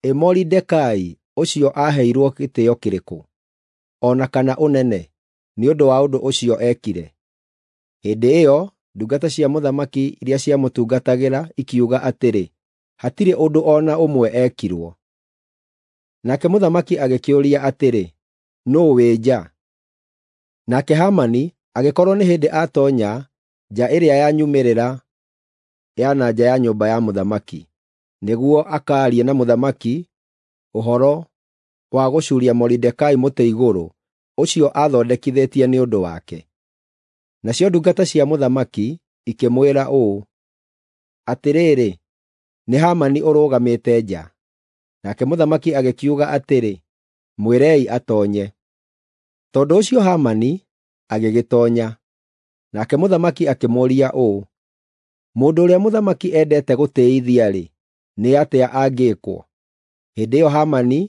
“Ĩ Moridekai ũcio aaheirwo gĩtĩĩo kĩrĩkũ, o na kana ũnene, nĩ ũndũ wa ũndũ ũcio eekire?” Hĩndĩ ĩyo ndungata cia mũthamaki iria ciamũtungatagĩra ikiuga atĩrĩ, “Hatirĩ ũndũ o na ũmwe eekirwo.” Nake mũthamaki agĩkĩũria atĩrĩ, “Nũũ wĩ nja?” Nake Hamani agĩkorwo nĩ hĩndĩ aatoonya nja ĩrĩa ya nyumĩrĩra ya na nja ya nyũmba ya mũthamaki, nĩguo akaarie na mũthamaki ũhoro wa gũcuuria Moridekai mũtĩ igũrũ ũcio aathondekithĩtie nĩ ũndũ wake. Nacio ndungata cia mũthamaki ikĩmwĩra ũũ, “Atĩrĩrĩ, nĩ Hamani ũrũgamĩte nja.” Nake mũthamaki agĩkiuga atĩrĩ, “Mwĩrei atoonye.” Tondũ ũcio Hamani agĩgĩtoonya. Nake mũthamaki akĩmũũria ũũ, “Mũndũ ũrĩa mũthamaki endete gũtĩĩithia-rĩ, nĩ atĩa angĩĩkwo?” Hĩndĩ ĩyo Hamani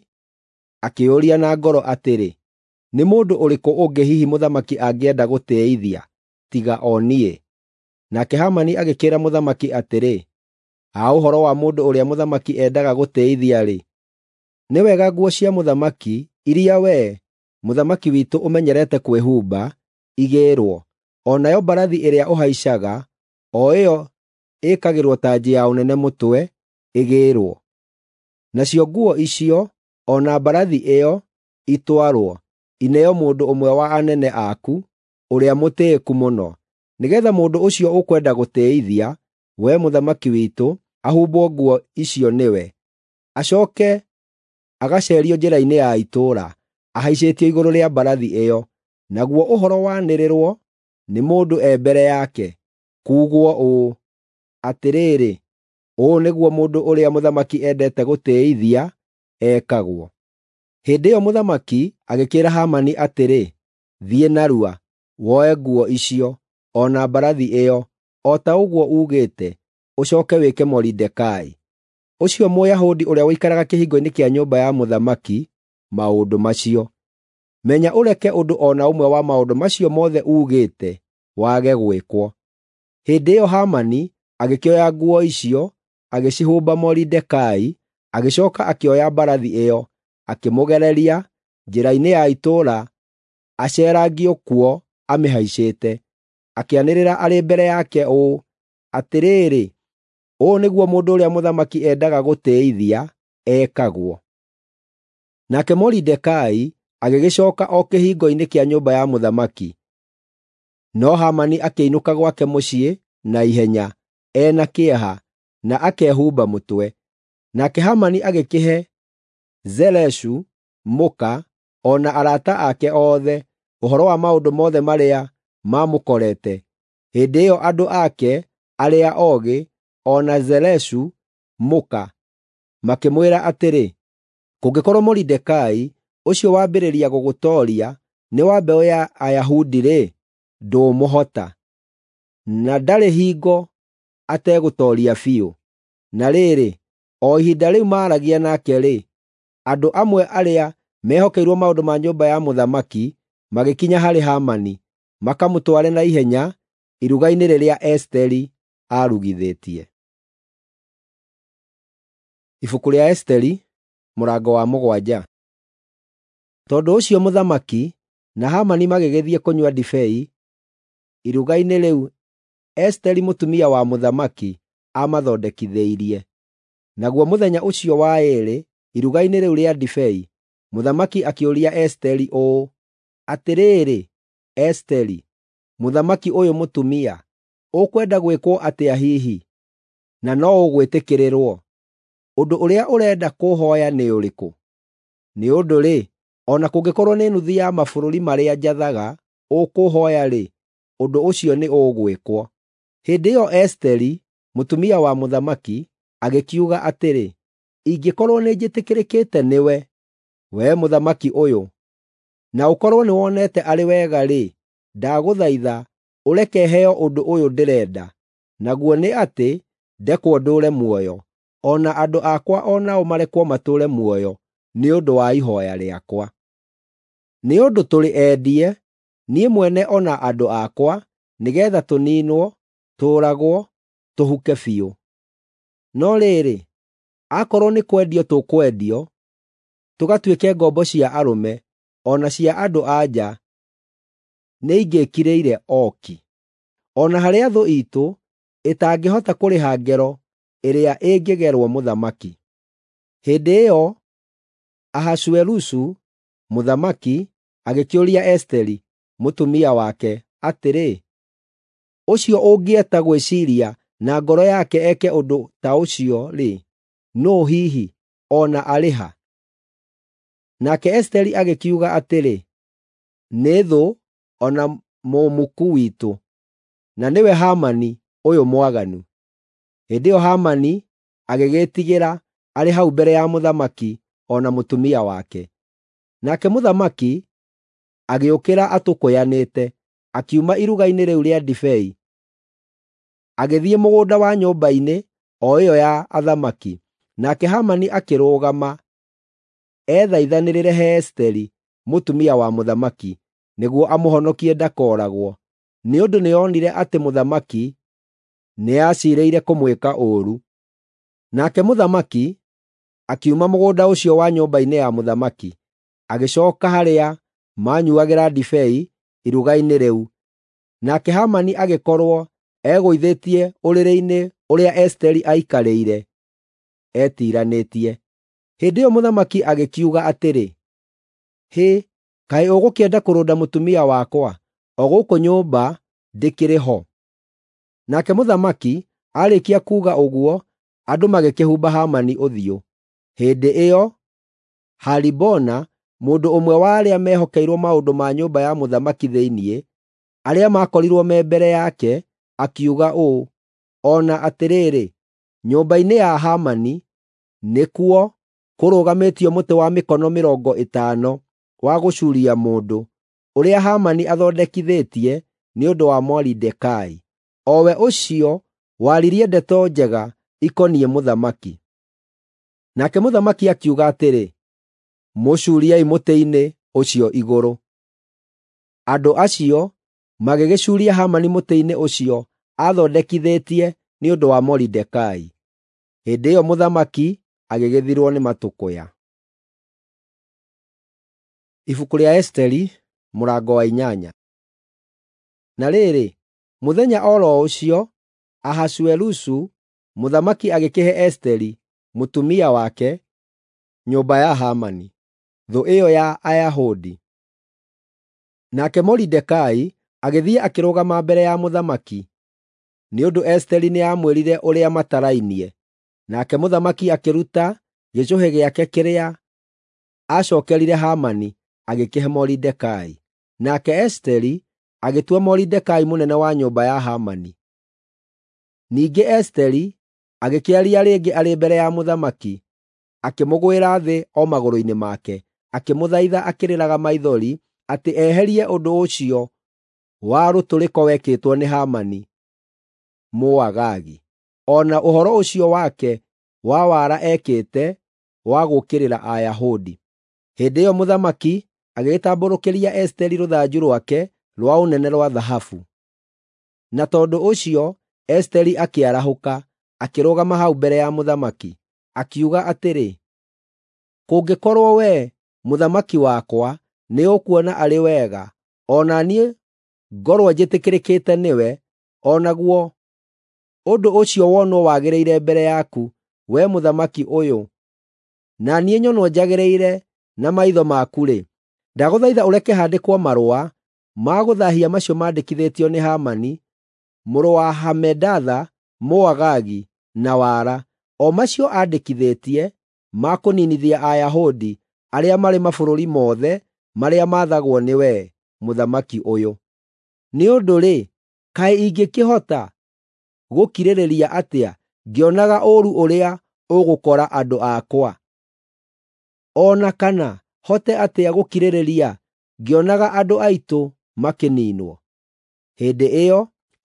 akĩĩyũria na ngoro atĩrĩ, “Nĩ mũndũ ũrĩkũ ũngĩ hihi mũthamaki angĩenda gũtĩĩithia tiga o niĩ?” Nake Hamani agĩkĩĩra mũthamaki atĩrĩ, “Ha ũhoro wa mũndũ ũrĩa mũthamaki endaga gũtĩĩithia-rĩ, nĩ wega nguo cia mũthamaki iria wee, mũthamaki witũ ũmenyerete kwĩhumba, igĩĩrwo, o nayo mbarathi ĩrĩa ũhaicaga, o ĩyo ĩĩkagĩrwo tanji ya ũnene mũtwe, ĩgĩĩrwo.” Nacio nguo icio o na mbarathi ĩyo itwarwo, ineo mũndũ ũmwe wa anene aku, ũrĩa mũtĩĩku mũno, nĩgeetha mũndũ ũcio ũkwenda gũtĩĩithia, wee mũthamaki witũ, ahumbwo nguo icio nĩwe, acooke agaceerio njĩra-inĩ ya itũũra, ahaicĩtio igũrũ rĩa mbarathi ĩyo, naguo ũhoro wanĩrĩrwo nĩ mũndũ e mbere yake, kuugwo ũũ, ‘Atĩrĩrĩ, ũũ nĩguo mũndũ ũrĩa mũthamaki endete gũtĩĩithia ekagwo.’ ” Hĩndĩ ĩyo mũthamaki agĩkĩĩra Hamani atĩrĩ, “Thiĩ narua, woe nguo icio, o na mbarathi ĩyo, o ta ũguo uugĩte, ũcooke wĩke Moridekai, ũcio Mũyahudi ũrĩa ũikaraga kĩhingo-inĩ kĩa nyũmba ya mũthamaki, maũndũ macio. Menya ũreke ũndũ o na ũmwe wa maũndũ macio mothe uugĩte wage gwĩkwo.” Hĩndĩ ĩyo Hamani agĩkĩoya nguo icio, agĩcihumba Moridekai, agĩcooka akĩoya mbarathi ĩyo, akĩmũgereria njĩra-inĩ ya itũũra aceerangio kuo amĩhaicĩte, akĩanĩrĩra arĩ mbere yake ũũ, “Atĩrĩrĩ, ũũ nĩguo mũndũ ũrĩa mũthamaki endaga gũtĩĩithia ekagwo!” Nake Moridekai agĩgĩcooka o kĩhingo-inĩ kĩa nyũmba ya mũthamaki, no Hamani akĩinũka gwake mũciĩ na ihenya, e na kĩeha, na akehumba mũtwe. Nake Hamani agĩkĩhe Zereshu mũka, o na arata ake othe, ũhoro wa maũndũ mothe marĩa maamũkorete. Hĩndĩ ĩyo andũ ake arĩa oogĩ, o na Zereshu mũka, makĩmwĩra atĩrĩ, “Kũngĩkorwo Moridekai, ũcio wambĩrĩria gũgũtooria, nĩ wa mbeũ ya Ayahudi-rĩ, ndũũmũhota, na ndarĩ hingo ategũtooria biũ.” Na rĩrĩ, o ihinda rĩu maaragia nake-rĩ, andũ amwe arĩa mehokeirwo maũndũ ma nyũmba ya mũthamaki magĩkinya harĩ Hamani, makamũtware na ihenya iruga-inĩ rĩrĩa Esiteri aarugithĩtie. Ibuku rĩa Esiteri mũrango wa 7. Tondũ ũcio mũthamaki na Hamani magĩgĩthiĩ kũnyua ndibei iruga-inĩ rĩu Esiteri mũtumia wa mũthamaki aamathondekithĩirie. Naguo mũthenya ũcio wa ĩĩrĩ iruga-inĩ rĩu rĩa ndibei, mũthamaki akĩũria Esiteri ũũ, “Atĩrĩrĩ, Esiteri, mũthamaki ũyũ mũtumia, ũkwenda gwĩkwo atĩa hihi, na no ũgwĩtĩkĩrĩrwo? Ũndũ ũrĩa ũrenda kũhooya nĩ ũrĩkũ? Nĩ ũndũ-rĩ, o na kũngĩkorwo nĩ nuthu ya mabũrũri marĩa njathaga ũkũhooya-rĩ, ũndũ ũcio nĩ ũgwĩkwo.” Hĩndĩ ĩyo Esiteri, mũtumia wa mũthamaki, agĩkiuga atĩrĩ, “Ingĩkorwo nĩnjĩtĩkĩrĩkĩte nĩwe, wee mũthamaki ũyũ, na ũkorwo nĩwonete arĩ wega-rĩ, ndagũthaitha ũreke heo ũndũ ũyũ ndĩrenda, naguo nĩ atĩ ndekwo ndũũre muoyo, o na andũ akwa o nao marekwo matũũre muoyo nĩ ũndũ wa ihooya rĩakwa. Nĩ ũndũ tũrĩ endie, niĩ mwene o na andũ akwa, nĩgeetha tũniinwo, tũũragwo, tũhuke biũ. No rĩrĩ, akorwo nĩ kwendio tũkwendio, tũgatuĩke ngombo cia arũme, o na cia andũ-a-nja, nĩingĩĩkirĩire o ki. O na harĩa thũ iitũ ĩtangĩhota kũrĩha ngero ĩrĩa ĩngĩgerwo mũthamaki.” Hĩndĩ ĩyo Ahasuerusu mũthamaki agĩkĩũria Esiteri mũtumia wake atĩrĩ, “Ũcio ũngĩeta gwĩciiria na ngoro yake eke ũndũ ta ũcio-rĩ, nũũ hihi, o na arĩ ha?” Nake Esiteri agĩkiuga atĩrĩ, “Nĩ thũ o na mũmuku witũ, na nĩwe Hamani ũyũ mwaganu.” Hĩndĩ ĩyo Hamani agĩgĩĩtigĩra arĩ hau mbere ya mũthamaki o na mũtumia wake. Nake mũthamaki agĩũkĩra atũkũyanĩte, akiuma iruga-inĩ rĩu rĩa ndibei, agĩthiĩ mũgũnda wa nyũmba-inĩ o ĩyo ya athamaki. Nake Hamani akĩrũgama ethaithanĩrĩre he Esiteri mũtumia wa mũthamaki, nĩguo amũhonokie ndakooragwo, nĩ ũndũ nĩonire atĩ mũthamaki nĩaciirĩire kũmwĩka ũũru. Nake mũthamaki akiuma mũgũnda ũcio wa nyũmba-inĩ ya mũthamaki, agĩcooka harĩa maanyuuagĩra ndibei iruga-inĩ rĩu, nake Hamani agĩkorwo egũithĩtie ũrĩrĩ-inĩ ũrĩa Esiteri aikarĩire etiranĩtie. Hĩndĩ ĩyo mũthamaki agĩkiuga atĩrĩ, “Hĩ, kaĩ ũgũkĩenda kũrũnda mũtumia wakwa, o gũkũ nyũmba ndĩkĩrĩ ho?” Nake mũthamaki aarĩkia kuuga ũguo, andũ magĩkĩhumba Hamani ũthiũ. Hĩndĩ ĩyo Haribona, mũndũ ũmwe wa arĩa mehokeirwo maũndũ ma nyũmba ya mũthamaki thĩinĩ, arĩa maakorirwo me mbere yake, akiuga ũũ, “O na atĩrĩrĩ, nyũmba-inĩ ya Hamani nĩkuo kũrũgamĩtio mũtĩ wa mĩkono 50 wa gũcuuria mũndũ, ũrĩa Hamani athondekithĩtie nĩ ũndũ wa Moridekai, o we ũcio waririe ndeto njega ikoniĩ mũthamaki.” Nake mũthamaki akiuga atĩrĩ, “Mũcuuriei mũtĩ-inĩ ũcio igũrũ.” Andũ acio magĩgĩcuuria Hamani mũtĩ-inĩ ũcio aathondekithĩtie nĩ ũndũ wa Moridekai. Hĩndĩ ĩyo mũthamaki agĩgĩthirwo nĩ matũkũya. Ibuku rĩa Esiteri mũrango wa 8. Na rĩrĩ, mũthenya o ro ũcio, Ahasuerusu mũthamaki agĩkĩhe Esiteri, mũtumia wake, nyũmba ya Hamani, thũ ĩyo ya Ayahudi. Nake Moridekai agĩthiĩ akĩrũgama mbere ya mũthamaki, nĩ ũndũ Esiteri nĩamwĩrire ũrĩa matarainie. Nake mũthamaki akĩruta gĩcũhĩ gĩake kĩrĩa aacookerire Hamani agĩkĩhe Moridekai. Nake Esiteri agĩtua Moridekai mũnene wa nyũmba ya Hamani. Ningĩ Esiteri agĩkĩaria rĩngĩ arĩ mbere ya mũthamaki, akĩmũgwĩra thĩ o magũrũ-inĩ make, akĩmũthaitha akĩrĩraga maithori atĩ eherie ũndũ ũcio wa rũtũrĩko wekĩtwo nĩ Hamani Mũagagi, o na ũhoro ũcio wake wa wara ekĩte wa gũũkĩrĩra Ayahudi. Hĩndĩ ĩyo mũthamaki agĩgĩtambũrũkĩria Esiteri rũthanju rwake rwa ũnene rwa thahabu. Na tondũ ũcio Esiteri akĩarahũka, akĩrũgama hau mbere ya mũthamaki, akiuga atĩrĩ, “Kũngĩkorwo wee, mũthamaki wakwa, nĩũkuona arĩ wega, o na niĩ ngorwo njĩtĩkĩrĩkĩte nĩwe, o naguo ũndũ ũcio wonwo wagĩrĩire mbere yaku, wee mũthamaki ũyũ, na niĩ nyonwo njagĩrĩire na maitho maku-rĩ, ndagũthaitha ũreke handĩkwo marũa ma gũthaahia macio mandĩkithĩtio nĩ Hamani mũrũ wa Hamedatha, Mũagagi, na wara, o macio aandĩkithĩtie ma kũniinithia Ayahudi arĩa marĩ mabũrũri mothe marĩa maathagwo nĩ wee, mũthamaki ũyũ. Nĩ ũndũ-rĩ, kaĩ ingĩkĩhota gũkirĩrĩria atĩa ngĩonaga ũũru ũrĩa ũgũkora andũ akwa? O na kana hote atĩa gũkirĩrĩria ngĩonaga andũ aitũ makĩniinwo?” Hĩndĩ ĩyo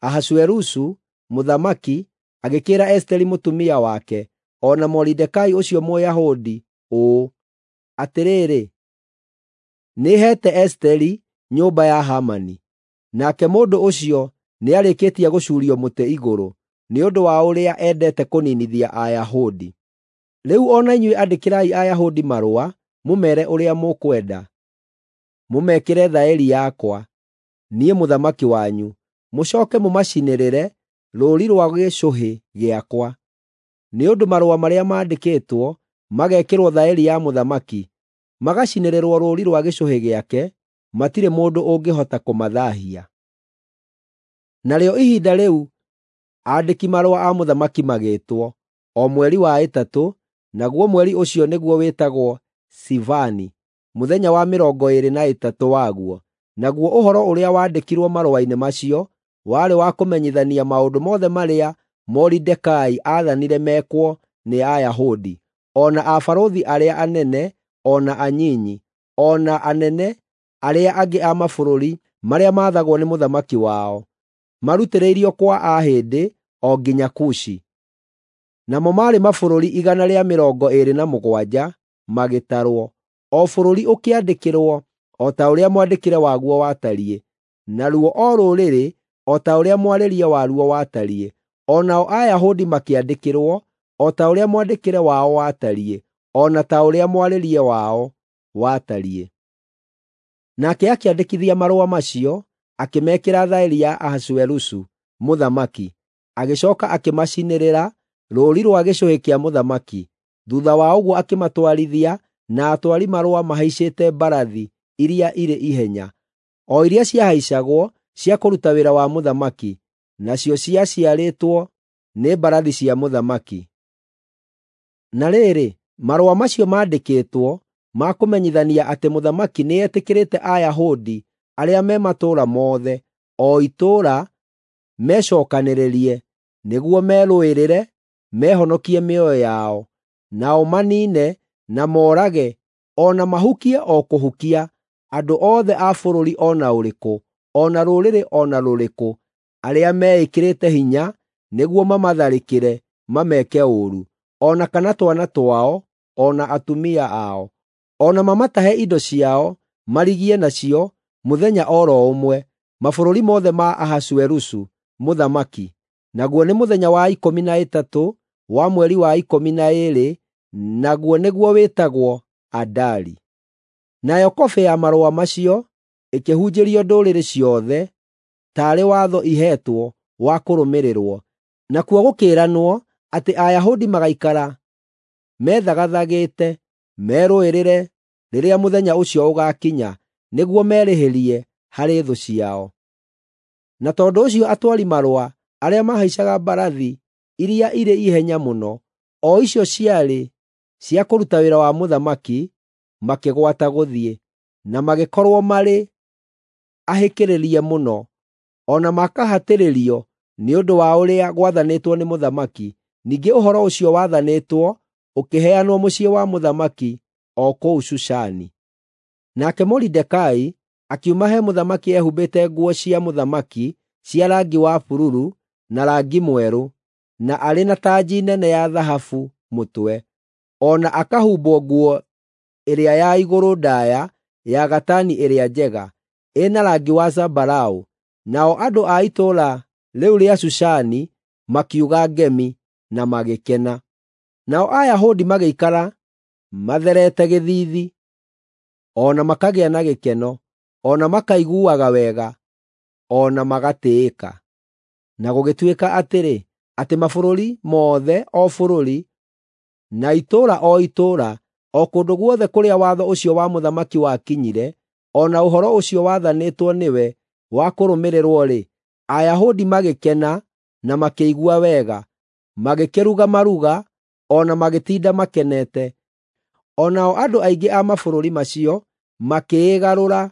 Ahasuerusu mũthamaki agĩkĩĩra Esiteri mũtumia wake o na Moridekai ũcio Mũyahudi ũũ, “Atĩrĩrĩ, nĩheete Esiteri nyũmba ya Hamani, nake mũndũ ũcio nĩarĩkĩtie gũcuurio mũtĩ igũrũ nĩ ũndũ wa ũrĩa endete kũniinithia Ayahudi. Rĩu o na inyuĩ andĩkĩrai Ayahudi marũa mũmeere ũrĩa mũkwenda, mũmekĩre thaĩri yakwa, niĩ mũthamaki wanyu, mũcooke mũmacinĩrĩre rũũri rwa gĩcũhĩ gĩakwa. Nĩ ũndũ marũa marĩa maandĩkĩtwo magekĩrwo thaĩri ya mũthamaki, magacinĩrĩrwo rũũri rwa gĩcũhĩ gĩake, matirĩ mũndũ ũngĩhota kũmathaahia.” Narĩo ihinda rĩu aandĩki-marũa a mũthamaki magĩĩtwo, o mweri wa ĩtatũ, naguo mweri ũcio nĩguo wĩtagwo Sivani, mũthenya wa 23 waguo. Naguo ũhoro ũrĩa waandĩkirwo marũa-inĩ macio warĩ wa kũmenyithania maũndũ mothe marĩa Moridekai aathanire mekwo nĩ Ayahudi, o na abarũthi arĩa anene o na anyinyi, o na anene arĩa angĩ a mabũrũri marĩa maathagwo nĩ mũthamaki wao, marutĩrĩirio kwa Ahĩndĩ o nginya Kushi. Namo maarĩ mabũrũri 127 magĩtarwo, o bũrũri ũkĩandĩkĩrwo o ta ũrĩa mwandĩkĩre waguo watariĩ, naruo o rũrĩrĩ o ta ũrĩa mwarĩrie waruo watariĩ. O nao Ayahudi makĩandĩkĩrwo o ta ũrĩa mwandĩkĩre wao watariĩ, o na ta ũrĩa mwarĩrie wao watariĩ. Nake akĩandĩkithia marũa macio, akĩmekĩra thaĩri ya Ahasuerusu mũthamaki, agĩcooka akĩmacinĩrĩra rũũri rwa gĩcũhĩ kĩa mũthamaki. Thuutha wa ũguo akĩmatwarithia na atwari marũa mahaicĩte mbarathi iria irĩ ihenya, o iria ciahaicagwo cia kũruta wĩra wa mũthamaki, nacio ciaciarĩtwo nĩ mbarathi cia mũthamaki. Na rĩrĩ, marũa macio maandĩkĩtwo ma kũmenyithania atĩ mũthamaki nĩetĩkĩrĩte Ayahudi arĩa me matũũra mothe, o itũũra, mecookanĩrĩrie nĩguo merũĩrĩre mehonokie mĩoyo yao, nao maniine na moorage o na mahukie o kũhukia andũ othe a bũrũri o na ũrĩkũ, o na rũrĩrĩ o na rũrĩkũ, arĩa meĩkĩrĩte hinya nĩguo mamatharĩkĩre mameke ũũru, o na kana twana twao, o na atumia ao, o na mamatahe indo ciao marigie nacio mũthenya o ro ũmwe, mabũrũri mothe ma Ahasuerusu mũthamaki, naguo nĩ mũthenya wa 13 wa mweri wa 12, naguo nĩguo wĩtagwo Adari. Nayo kobĩ ya marũa macio ĩkĩhunjĩrio ndũrĩrĩ ciothe taarĩ watho iheetwo wa kũrũmĩrĩrwo, nakuo gũkĩĩranwo atĩ Ayahudi magaikara methagathagĩte merũĩrĩre rĩrĩa mũthenya ũcio ũgaakinya nĩguo merĩhĩrie harĩ thũ ciao. Na tondũ ũcio atwari marũa arĩa mahaicaga mbarathi iria irĩ ihenya mũno, o icio ciarĩ cia kũruta wĩra wa mũthamaki, makĩgwata gũthiĩ, na magĩkorwo marĩ ahĩkĩrĩrie mũno, o na makahatĩrĩrio nĩ ũndũ wa ũrĩa gwathanĩtwo nĩ mũthamaki. Ningĩ ũhoro ũcio wathanĩtwo ũkĩheanwo mũciĩ wa mũthamaki o kũu Shushani. Nake Moridekai akiuma he mũthamaki ehumbĩte nguo cia mũthamaki cia rangi wa bururu na rangi mwerũ, na arĩ na tanji nene ya thahabu mũtwe, o na akahumbwo nguo ĩrĩa ya igũrũ ndaaya ya gatani ĩrĩa njega, ĩna rangi wa zambarau. Nao andũ a itũũra rĩu rĩa Shushani makiuga ngemi na magĩkena. Nao Ayahudi magĩikara matherete gĩthiithi, o na makagĩa na gĩkeno, o na makaiguaga wega, o na magatĩĩka. Na gũgĩtuĩka atĩrĩ, atĩ mabũrũri mothe o bũrũri, na itũũra o itũũra, o kũndũ guothe kũrĩa watho ũcio wa mũthamaki wakinyire, o na ũhoro ũcio wathanĩtwo nĩwe wa kũrũmĩrĩrwo-rĩ, Ayahudi magĩkena na makĩigua wega, magĩkĩruga maruga, o na magĩtinda makenete. O nao andũ aingĩ a mabũrũri macio makĩĩgarũra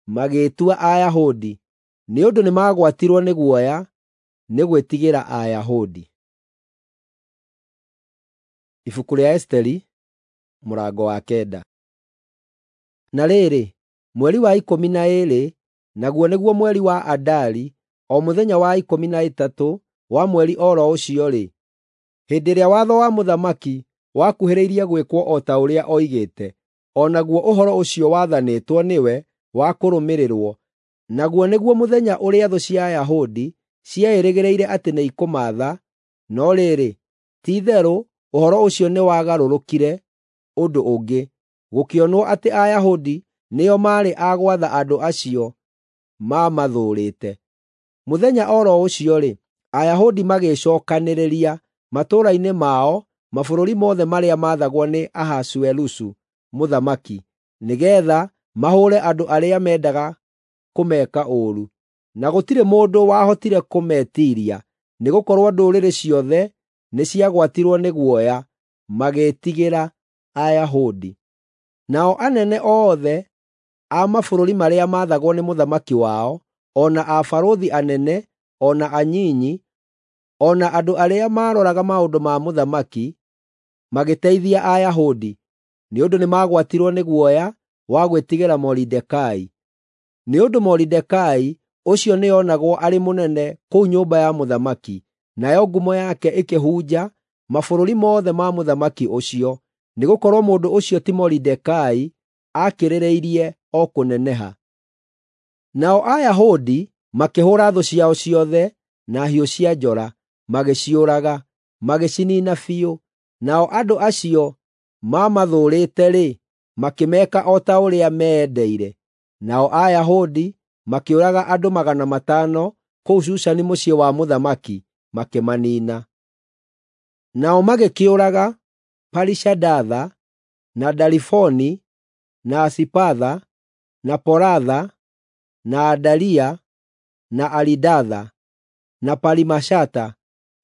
magĩĩtua Ayahudi, nĩ ũndũ nĩmagwatirwo nĩ guoya nĩ gwĩtigĩra Ayahudi. Ibuku rĩa Esiteri mũrango wa 9. Na rĩrĩ, mweri wa 12, naguo nĩguo mweri wa Adari, o mũthenya wa 13 wa mweri o ro ũcio-rĩ, hĩndĩ ĩrĩa watho wa mũthamaki wakuhĩrĩirie gwĩkwo o ta ũrĩa oigĩte, o naguo ũhoro ũcio wathanĩtwo nĩwe wa kũrũmĩrĩrwo, naguo nĩguo mũthenya ũrĩa thũ cia Ayahudi cieĩrĩgĩrĩire atĩ nĩikũmaatha, no rĩrĩ, ti-itherũ ũhoro ũcio nĩwagarũrũkire ũndũ ũngĩ, gũkĩonwo atĩ Ayahudi nĩo maarĩ a gwatha andũ acio maamathũũrĩte. Mũthenya o ro ũcio-rĩ, Ayahudi magĩĩcookanĩrĩria matũũra-inĩ mao mabũrũri mothe marĩa maathagwo nĩ Ahasuerusu mũthamaki, nĩgeetha mahũũre andũ arĩa mendaga kũmeka ũũru. Na gũtirĩ mũndũ wahotire kũmetiiria, nĩgũkorwo ndũrĩrĩ ciothe nĩciagwatirwo nĩ guoya, magĩĩtigĩra Ayahudi. Nao anene othe a mabũrũri marĩa maathagwo nĩ mũthamaki wao, o na abarũthi anene, o na anyinyi, o na andũ arĩa maaroraga maũndũ ma mũthamaki, magĩteithia Ayahudi, nĩ ũndũ nĩmagwatirwo nĩ guoya wa gwĩtigĩra Moridekai. Nĩ ũndũ Moridekai ũcio nĩonagwo arĩ mũnene kũu nyũmba ya mũthamaki, nayo ngumo yake ĩkĩhunja mabũrũri mothe ma mũthamaki ũcio, nĩgũkorwo mũndũ ũcio ti Moridekai aakĩrĩrĩirie o kũneneha. Nao Ayahudi makĩhũũra thũ ciao ciothe na hiũ cia njora, magĩciũraga, magĩciniina biũ. Nao andũ acio maamathũũrĩte-rĩ, makĩmeka o ta ũrĩa meendeire. Nao Ayahudi makĩũraga andũ 500 kũu Shushani mũciĩ wa mũthamaki, makĩmaniina. Nao magĩkĩũraga Parishandatha, na Dalifoni, na Asipatha, na Poratha, na Adalia, na Aridatha, na Parimashata,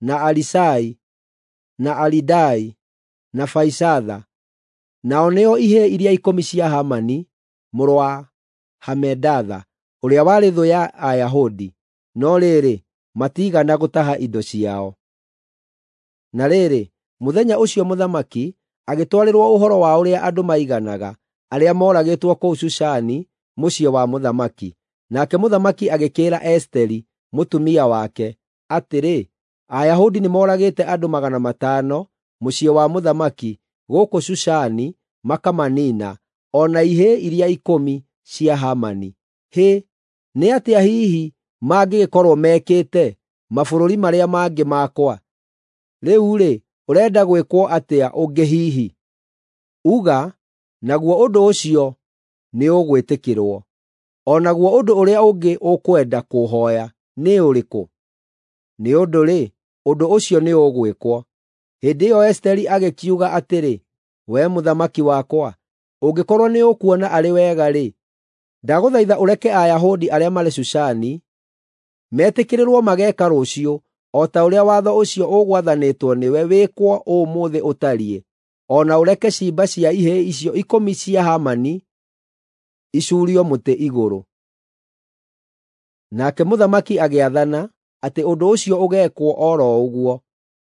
na Arisai, na Aridai, na Faisatha. Nao nĩo ihĩĩ iria 10 cia Hamani mũrũ wa Hamedatha, ũrĩa warĩ thũ ya Ayahudi, no rĩrĩ, matiigana gũtaha indo ciao. Na rĩrĩ, mũthenya ũcio mũthamaki agĩtwarĩrwo ũhoro wa ũrĩa andũ maiganaga arĩa mooragĩtwo kũu Shushani mũciĩ wa mũthamaki. Nake mũthamaki agĩkĩĩra Esiteri mũtumia wake atĩrĩ, Ayahudi nĩmoragĩte andũ 500 mũciĩ wa mũthamaki gũkũ Shushani makamaniina, o na ihĩĩ iria 10 cia Hamani. Hĩ, nĩ atĩa hihi mangĩgĩkorwo mekĩte mabũrũri marĩa mangĩ makwa? Rĩu-rĩ, ũrenda gwĩkwo atĩa ũngĩ hihi? Uga, naguo ũndũ ũcio nĩũgwĩtĩkĩrwo. O naguo ũndũ ũrĩa ũngĩ ũkwenda kũũhooya nĩ ũrĩkũ? Nĩ ũndũ-rĩ, ũndũ ũcio nĩũgwĩkwo. Hĩndĩ ĩyo Esiteri agĩkiuga atĩrĩ, “Wee mũthamaki wakwa, ũngĩkorwo nĩũkuona arĩ wega-rĩ, ndagũthaitha ũreke Ayahudi arĩa marĩ Shushani metĩkĩrĩrwo mageeka rũciũ o ta ũrĩa watho ũcio ũgwathanĩtwo nĩwe wĩkwo ũmũthĩ ũtariĩ, o na ũreke ciimba cia ihĩĩ icio 10 cia Hamani icuurio mũtĩ igũrũ.” Nake mũthamaki agĩathana atĩ ũndũ ũcio ũgeekwo o ro ũguo,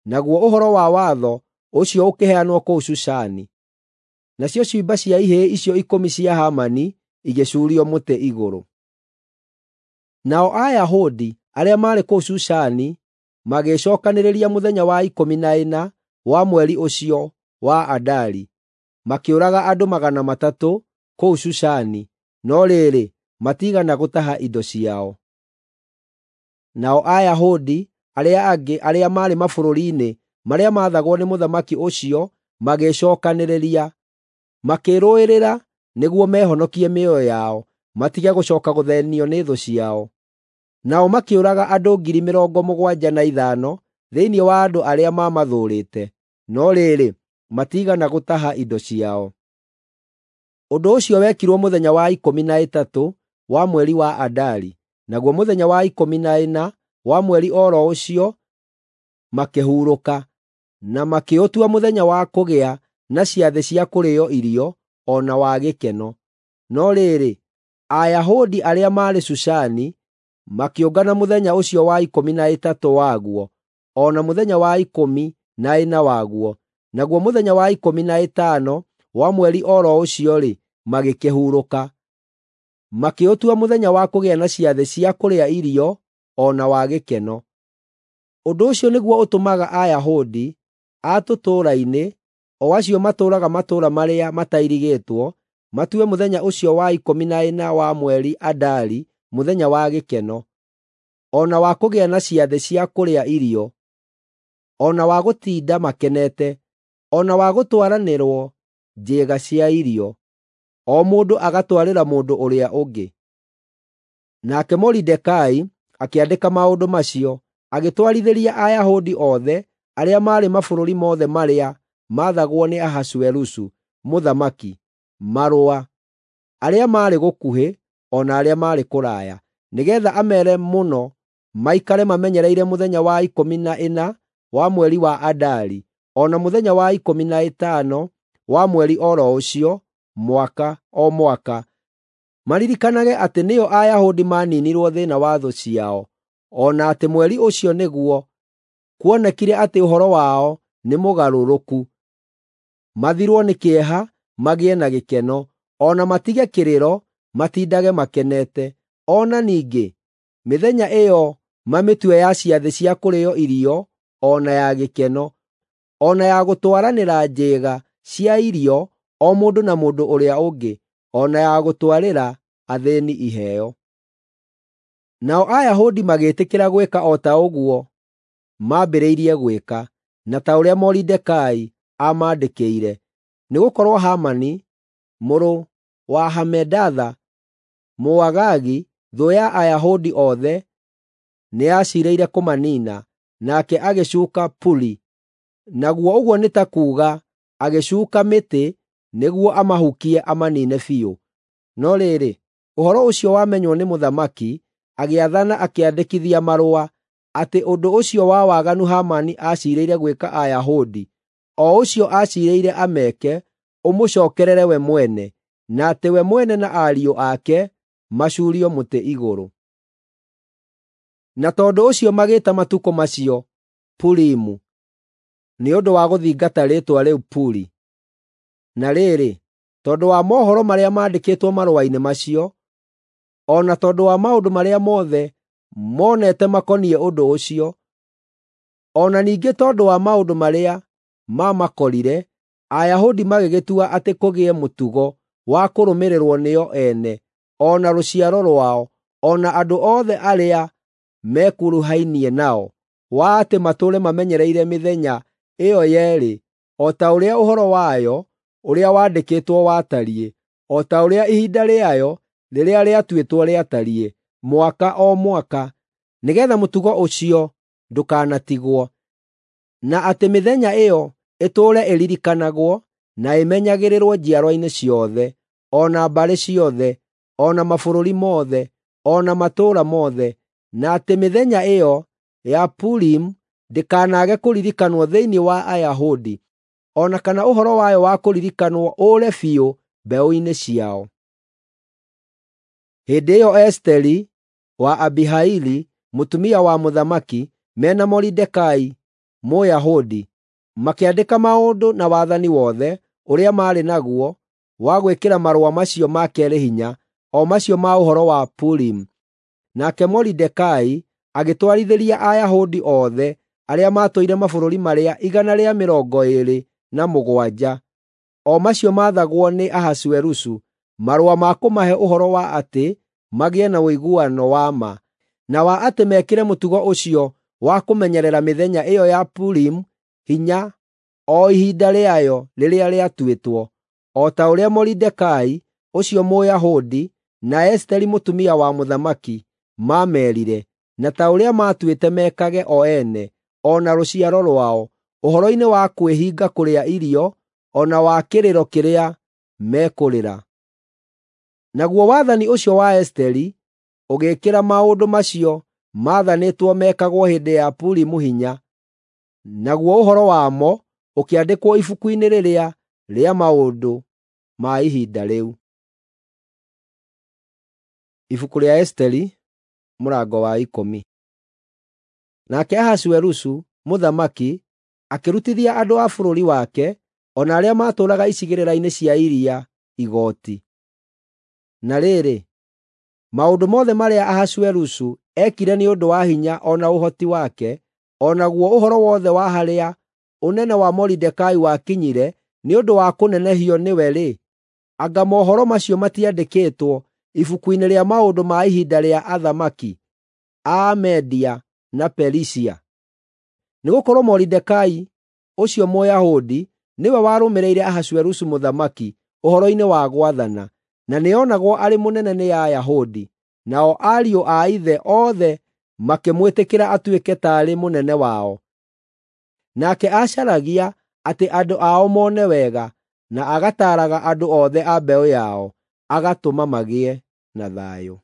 naguo ũhoro wa watho ũcio ũkĩheanwo kũu Shushani. Nacio ciimba cia ihĩĩ icio 10 cia Hamani igĩcuurio mũtĩ igũrũ. Nao Ayahudi arĩa maarĩ kũu Shushani magĩĩcookanĩrĩria mũthenya wa 14 wa mweri ũcio wa Adari, makĩũraga andũ 300 kũu Shushani, no rĩrĩ, matiigana gũtaha indo ciao. Nao Ayahudi arĩa angĩ arĩa maarĩ mabũrũri-inĩ marĩa maathagwo nĩ mũthamaki ũcio magĩĩcookanĩrĩria, makĩĩrũĩrĩra nĩguo mehonokie mĩoyo yao, matige gũcooka gũthĩĩnio nĩ thũ ciao. Nao makĩũraga andũ 75,000 thĩinĩ wa andũ arĩa maamathũũrĩte, no rĩrĩ, matiigana gũtaha indo ciao. Ũndũ ũcio wekirwo mũthenya wa 13 wa mweri wa Adari, naguo mũthenya wa 14 wa mweri o ro ũcio makĩhurũka, na makĩũtua mũthenya wa kũgĩa na ciathĩ cia kũrĩĩo irio o na wa gĩkeno. No rĩrĩ, Ayahudi arĩa maarĩ Shushani makĩũngana mũthenya ũcio wa 13 waguo, o na mũthenya wa 14 waguo, naguo mũthenya wa 15 wa mweri o ro ũcio-rĩ, magĩkĩhurũka. Makĩũtua mũthenya wa kũgĩa na ciathĩ cia kũrĩa irio o na wa gĩkeno. Ũndũ ũcio nĩguo ũtũmaga Ayahudi a tũtũũra-inĩ, o acio matũũraga matũũra marĩa matairigĩtwo, matue mũthenya ũcio wa 14 wa mweri Adari mũthenya wa gĩkeno, o na wa kũgĩa na ciathĩ cia kũrĩa irio, o na wa gũtinda makenete, o na wa gũtwaranĩrwo njĩĩga cia irio, o mũndũ agatwarĩra mũndũ ũrĩa ũngĩ. Nake Moridekai akĩandĩka maũndũ macio, agĩtwarithĩria Ayahudi othe arĩa maarĩ mabũrũri mothe marĩa maathagwo nĩ Ahasuerusu mũthamaki marũa, arĩa maarĩ gũkuhĩ o na arĩa maarĩ kũraya, nĩgeetha ameere mũno maikare mamenyereire mũthenya wa 14 wa mweri wa Adari, o na mũthenya wa 15 wa mweri o ro ũcio, mwaka o mwaka, maririkanage atĩ nĩo Ayahudi maaniinirwo thĩĩna wa thũ ciao, o na atĩ mweri ũcio nĩguo kuonekire atĩ ũhoro wao nĩ mũgarũrũku, mathirwo nĩ kĩeha magĩe na gĩkeno, o na matige kĩrĩro matindage makenete. O na ningĩ mĩthenya ĩyo mamĩtue ya ciathĩ cia kũrĩĩo irio o na ya gĩkeno, o na ya gũtwaranĩra njĩĩga cia irio o mũndũ na mũndũ ũrĩa ũngĩ, o na ya gũtwarĩra athĩĩni iheo. Nao Ayahudi magĩĩtĩkĩra gwĩka o ta ũguo maambĩrĩirie gwĩka, na ta ũrĩa Moridekai aamandĩkĩire, nĩgũkorwo Hamani mũrũ wa Hamedatha, Mũagagi, thũ ya Ayahudi othe, nĩaciirĩire kũmaniina, nake agĩcuuka Puri, naguo ũguo nĩ ta kuuga agĩcuuka mĩtĩ nĩguo amahukie amaniine biũ. No rĩrĩ, ũhoro ũcio wamenywo nĩ mũthamaki, agĩathana akĩandĩkithia marũa atĩ ũndũ ũcio wa waganu Hamani aciirĩire gwĩka Ayahudi, o ũcio aciirĩire ameke, ũmũcookerere we mwene, na atĩ we mwene na ariũ ake macuurio mũtĩ igũrũ. Na tondũ ũcio magĩĩta matukũ macio Purimu, nĩ ũndũ wa gũthingata rĩĩtwa rĩu Puri. Na rĩrĩ, tondũ wa mohoro marĩa maandĩkĩtwo marũa-inĩ macio, o na tondũ wa maũndũ marĩa mothe monete makoniĩ ũndũ ũcio, o na ningĩ tondũ wa maũndũ marĩa maamakorire, Ayahudi magĩgĩtua atĩ kũgĩe mũtugo wa kũrũmĩrĩrwo nĩo ene, o na rũciaro rwao, o na andũ othe arĩa mekuruhainie nao, wa atĩ matũũre mamenyereire mĩthenya ĩyo yeerĩ o ta ũrĩa ũhoro wayo ũrĩa wandĩkĩtwo watariĩ, o ta ũrĩa ihinda rĩayo rĩrĩa rĩatuĩtwo rĩatariĩ, mwaka o mwaka, nĩgeetha mũtugo ũcio ndũkanatigwo, na atĩ mĩthenya ĩyo ĩtũũre ĩririkanagwo na ĩmenyagĩrĩrwo njiarwa-inĩ ciothe, o na mbarĩ ciothe, o na mabũrũri mothe, o na matũũra mothe, na atĩ mĩthenya ĩyo ya Purimu ndĩkanaage kũririkanwo thĩinĩ wa Ayahudi, o na kana ũhoro wayo wa kũririkanwo ũũre biũ mbeũ-inĩ ciao. Hĩndĩ ĩyo Esiteri wa Abihaili, mũtumia wa mũthamaki, mena Moridekai Mũyahudi, makĩandĩka maũndũ na wathani wothe ũrĩa maarĩ naguo wa gwĩkĩra marũa macio ma keerĩ hinya, o macio ma ũhoro wa Purimu. Nake Moridekai agĩtwarithĩria Ayahudi othe arĩa maatũire mabũrũri marĩa 127, o macio maathagwo nĩ Ahasuerusu, marũa ma kũmahe ũhoro wa atĩ magĩe na ũiguano wa ma, na wa atĩ mekĩre mũtugo ũcio wa kũmenyerera mĩthenya ĩyo ya Purimu hinya o ihinda rĩayo rĩrĩa rĩatuĩtwo, o ta ũrĩa Moridekai ũcio Mũyahudi na Esiteri mũtumia wa mũthamaki maameerire, na ta ũrĩa maatuĩte mekage o ene, o na rũciaro rwao, ũhoro-inĩ wa kwĩhinga kũrĩa irio, o na wa kĩrĩro kĩrĩa mekũrĩra. Naguo wathani ũcio wa Esiteri ũgĩĩkĩra maũndũ macio maathanĩtwo mekagwo hĩndĩ ya Purimu hinya, naguo ũhoro wamo ũkĩandĩkwo ibuku-inĩ rĩrĩa rĩa maũndũ ma ihinda rĩu. Ibuku rĩa Esiteri mũrango wa 10. Nake Ahasuerusu mũthamaki akĩrutithia andũ a bũrũri wake o na arĩa maatũũraga icigĩrĩra-inĩ cia iria igooti. Na rĩrĩ, maũndũ mothe marĩa Ahasuerusu eekire nĩ ũndũ wa hinya o na ũhoti wake, o naguo ũhoro wothe wa harĩa ũnene wa Moridekai wakinyire nĩ ũndũ wa kũnenehio nĩwe-rĩ, anga mohoro macio matiandĩkĩtwo ibuku-inĩ rĩa maũndũ ma ihinda rĩa athamaki a Media na Perisia? Nĩgũkorwo Moridekai ũcio Mũyahudi nĩwe warũmĩrĩire Ahasuerusu mũthamaki ũhoro-inĩ wa gwathana, na nĩonagwo arĩ mũnene nĩ Ayahudi, nao ariũ a ithe othe makĩmwĩtĩkĩra atuĩke taarĩ mũnene wao. Nake aacaragia atĩ andũ ao mone wega, na agataaraga andũ othe a mbeũ yao, agatũma magĩe na thayũ.